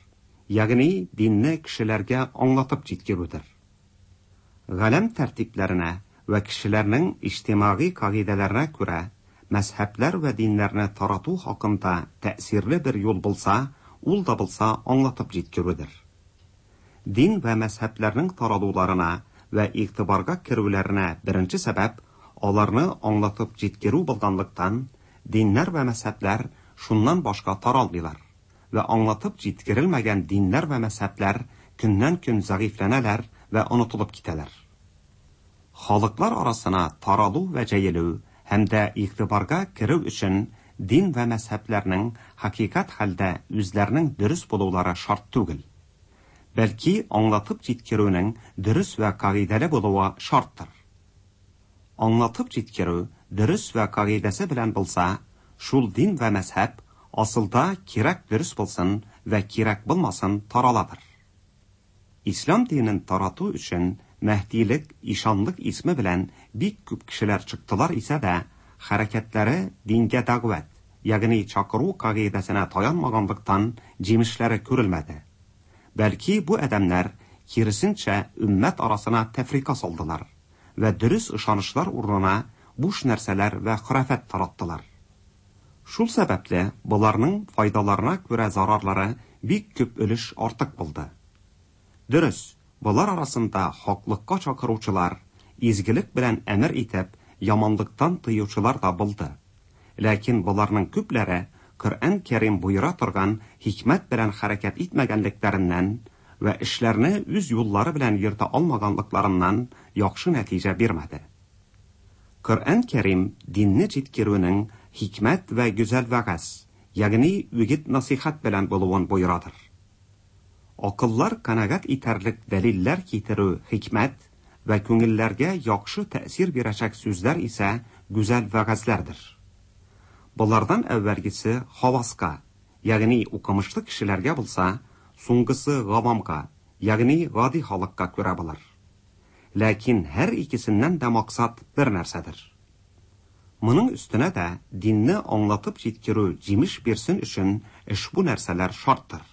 ягъни динне кешеләргә аңлатып җиткерүдер. Галәм тәртипләренә вә кешеләрнең иҗтимагый кагыйдәләренә күрә, мәзһәбләр вә диннәрне тарату хакында тәэсирле бер юл булса, ул да булса аңлатып җиткерүдер. Дин вә мәзһәбләрнең таралуларына вә игътибарга керүләренә беренче сәбәп аларны аңлатып җиткерү булганлыктан, диннәр вә мәзһәбләр шуннан башка таралмыйлар вә аңлатып җиткерелмәгән диннәр вә мәзһәбләр көннән-көн зәгыйфьләнәләр вә онытылып китәләр. Халыклар арасына таралу вә җәелү һәм дә игътибарга керү өчен дин вә мәзһәбләрнең хакыйкать хәлдә үзләренең дөрес булулары шарт түгел. Бәлки аңлатып җиткерүнең дөрес вә кагыйдәле булуы шарттыр. Аңлатып җиткерү дөрес вә кагыйдәсе белән булса, шул дин вә мәзһәб асылда кирәк дөрес булсын вә кирәк булмасын тараладыр. Ислам динен тарату өчен мәһдилек, ишанлык исме белән бик күп кешеләр чыктылар исә дә, хәрәкәтләре дингә дәгъват, ягъни чакыру кагыйдәсенә таянмаганлыктан җимешләре күрелмәде. Бәлки бу адәмнәр киресенчә өммәт арасына тәфрика салдылар вә дөрес ышанычлар урынына буш нәрсәләр вә хорафәт тараттылар. Шул сәбәпле боларның файдаларына күрә зарарлары бик күп өлеш артык булды. Дөрес, болар арасында хаклыкка чакыручылар, изгелек белән әмер итеп, яманлыктан тыючылар да булды. Ләкин боларның күпләре Коръән Кәрим боера торган хикмәт белән хәрәкәт итмәгәнлекләреннән вә эшләрне үз юллары белән йөртә алмаганлыкларыннан яхшы нәтиҗә бирмәде. Коръән Кәрим динне җиткерүнең хикмәт вә гүзәл вәгазь, ягъни үгет-насыйхәт белән булуын боерадыр. Акыллар канәгать итәрлек дәлилләр китерү хикмәт вә күңелләргә яхшы тәэсир бирәчәк сүзләр исә гүзәл вәгазьләрдер. Болардан әүвәлгесе хаваска, ягъни укымышлы кешеләргә булса, соңгысы гавамга, ягъни гади халыкка күрә булыр. Ләкин һәр икесеннән дә максат бер нәрсәдер. Моның өстенә дә динне аңлатып җиткерү җимеш бирсен өчен ошбу нәрсәләр шарттыр.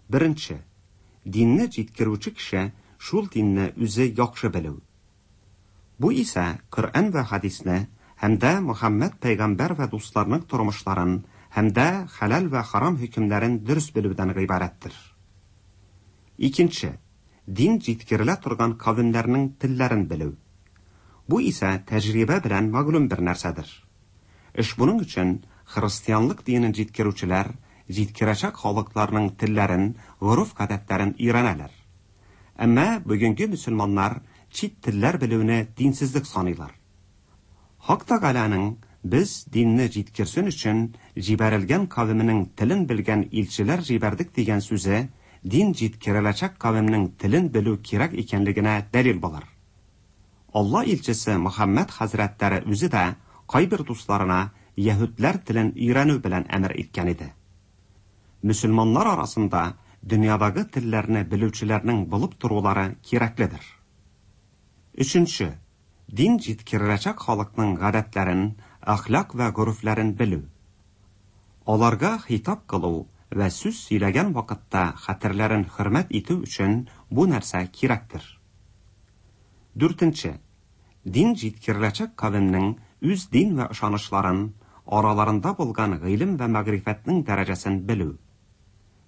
Беренче, динне җиткерүче кеше шул динне үзе яхшы белү. Бу исә Коръән вә хәдисне һәм дә Мөхәммәд пәйгамбәр вә дусларының тормышларын һәм дә хәләл вә харам хөкемнәрен дөрес белүдән гыйбарәттер. Икенче, дин җиткерелә торган кавемнәрнең телләрен белү. Бу исә тәҗрибә белән мәгълүм бер нәрсәдер. Ошбуның өчен христианлык динен җиткерүчеләр җиткерәчәк халыкларның телләрен, гореф-гадәтләрен өйрәнәләр. Әмма бүгенге мөселманнар чит телләр белүне динсезлек саныйлар. Хак Тәгаләнең без динне җиткерсен өчен җибәрелгән кавеменең телен белгән илчеләр җибәрдек дигән сүзе дин җиткереләчәк кавемнең телен белү кирәк икәнлегенә дәлил булыр. Алла илчесе Мөхәммәд хәзрәтләре үзе дә кайбер дусларына яһүдләр телен өйрәнү белән әмер иткән иде. Мөселманнар арасында дөньядагы телләрне белүчеләрнең булып торулары кирәкледер. Өченче, дин җиткереләчәк халыкның гадәтләрен, әхлак вә горефләрен белү. Аларга хитап кылу вә сүз сөйләгән вакытта хәтерләрен хөрмәт итү өчен бу нәрсә кирәктер. Дүртенче, дин җиткереләчәк кавемнең үз дин вә ышанычларын, араларында булган гыйлем вә мәгърифәтнең дәрәҗәсен белү.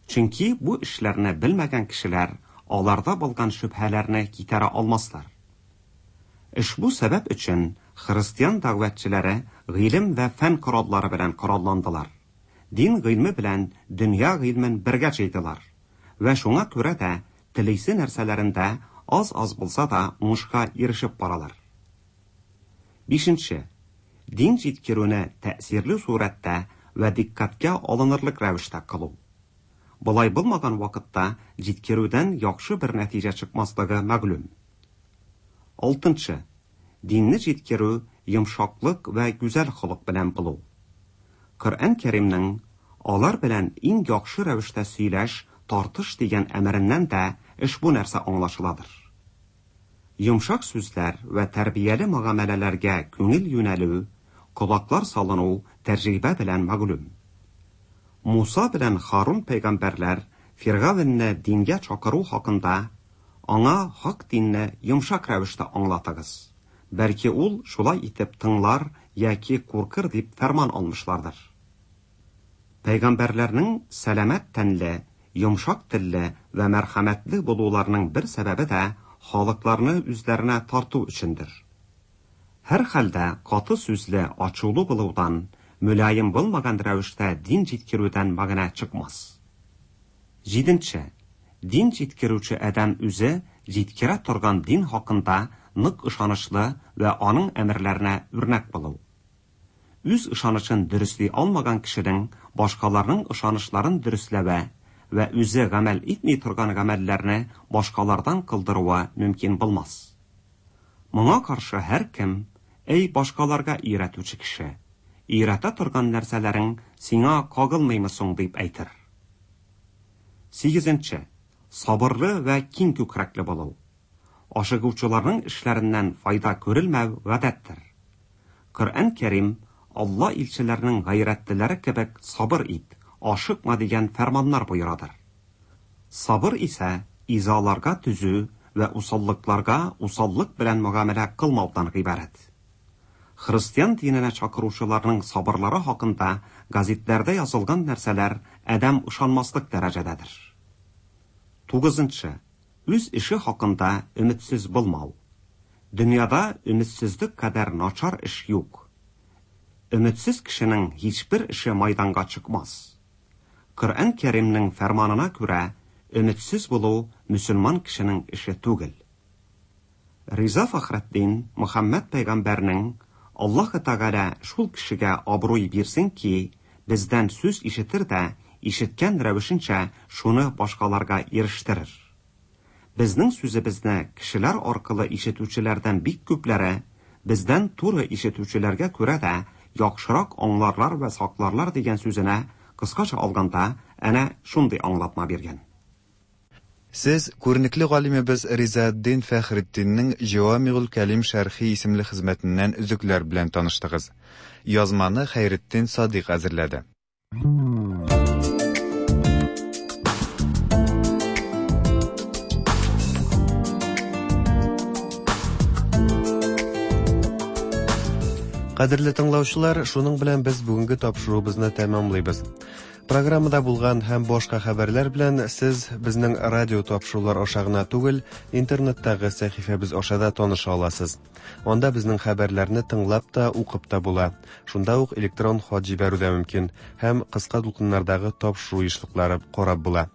Чөнки бу эшләрне белмәгән кешеләр аларда булган шөбһәләрне китәрә алмаслар. Ошбу сәбәп өчен христиан дәгъватчылары гыйлем вә фән кораллары белән коралландылар. Дин гыйльме белән дөнья гыйльмен бергә җыйдылар. Вә шуңа күрә дә телисе нәрсәләрендә аз-аз булса да уңышка ирешеп баралар. Бишенче, дин җиткерүне тәэсирле сурәттә вә дикъкатькә алынырлык рәвештә кылу. Болай булмаган вакытта җиткерүдән яхшы бер нәтиҗә чыкмаслыгы мәгълүм. Алтынчы, динне җиткерү йомшаклык вә гүзәл холык белән булу. Коръән Кәримнең алар белән иң яхшы рәвештә сөйләш, тартыш дигән әмереннән дә ошбу нәрсә аңлашыладыр. Йомшак сүзләр вә тәрбияле мөгамәләләргә күңел юнәлү, колаклар салыну тәҗрибә белән мәгълүм. Муса белән Харун пәйгамбәрләр Фиргавенне дингә чакыру хакында аңа хак динне йомшак рәвештә аңлатыгыз, бәлки ул шулай итеп тыңлар яки куркыр дип фәрман алмышлардыр. Пәйгамбәрләрнең сәламәт тәнле, йомшак телле вә мәрхәмәтле булуларының бер сәбәбе дә халыкларны үзләренә тарту өчендер. Һәрхәлдә каты сүзле, ачулы булудан, мөлаем булмаган рәвештә дин җиткерүдән мәгънә чыкмас. Җиденче, дин җиткерүче адәм үзе җиткерә торган дин хакында нык ышанычлы вә аның әмерләренә үрнәк булу. Үз ышанычын дөресли алмаган кешенең башкаларның ышанычларын дөресләве вә үзе гамәл итми торган гамәлләрне башкалардан кылдыруы мөмкин булмас. Моңа каршы һәркем, Әй башкаларга өйрәтүче кеше, өйрәтә торган нәрсәләрең сиңа кагылмыймы соң дип әйтер. Сигезенче, сабырлы вә киң күкрәкле булу. Ашыгучыларның эшләреннән файда күрелмәү гадәттер. Коръән Кәрим Алла илчеләренең гайрәтлеләре кебек сабыр ит, ашыкма дигән фәрманнар боерадыр. Сабыр исә изаларга түзү вә усаллыкларга усаллык белән мөгамәлә кылмаудан гыйбарәт. Христиан диненә чакыручыларның сабырлары хакында газетләрдә язылган нәрсәләр адәм ышанмаслык дәрәҗәдәдер. Тугызынчы, үз эше хакында өметсез булмау. Дөньяда өметсезлек кадәр начар эш юк. Өметсез кешенең һичбер эше майданга чыкмас. Коръән Кәримнең фәрманына күрә, өметсез булу мөселман кешенең эше түгел. Риза Фәхретдин Мөхәммәд пәйгамбәрнең Аллаһы Тәгалә шул кешегә абруй бирсен ки, бездән сүз ишетер дә, ишеткән рәвешенчә шуны башкаларга ирештерер. Безнең сүзебезне кешеләр аркылы ишетүчеләрдән бик күпләре, бездән туры ишетүчеләргә күрә дә яхшырак аңларлар вә сакларлар дигән сүзенә, кыскача алганда, әнә шундый аңлатма биргән. Сез күренекле галимебез Ризаэддин Фәхретдиннең Җәвамигуль Кәлим шәрхи исемле хезмәтеннән өзекләр белән таныштыгыз. Язманы Хәйретдин Садыйк әзерләде. Кадерле тыңлаучылар, шуның белән без бүгенге тапшыруыбызны тәмамлыйбыз. Программада булган һәм башка хәбәрләр белән сез безнең радио тапшырулар аша гына түгел, интернеттагы сәхифәбез аша да таныша аласыз. Анда безнең хәбәрләрне тыңлап та, укып та була. Шунда ук электрон хат җибәрү дә мөмкин һәм кыска дулкыннардагы тапшыру ешлыклары карап була.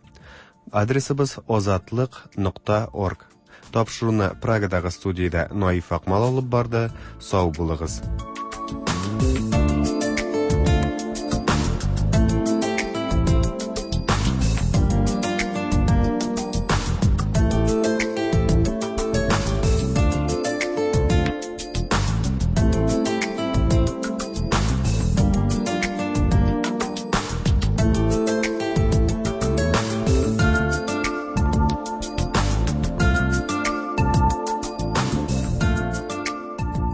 Адресыбыз озатлык.орг. Тапшыруны Прагадагы студиядә Наиф Акмал алып барды. Сау булыгыз.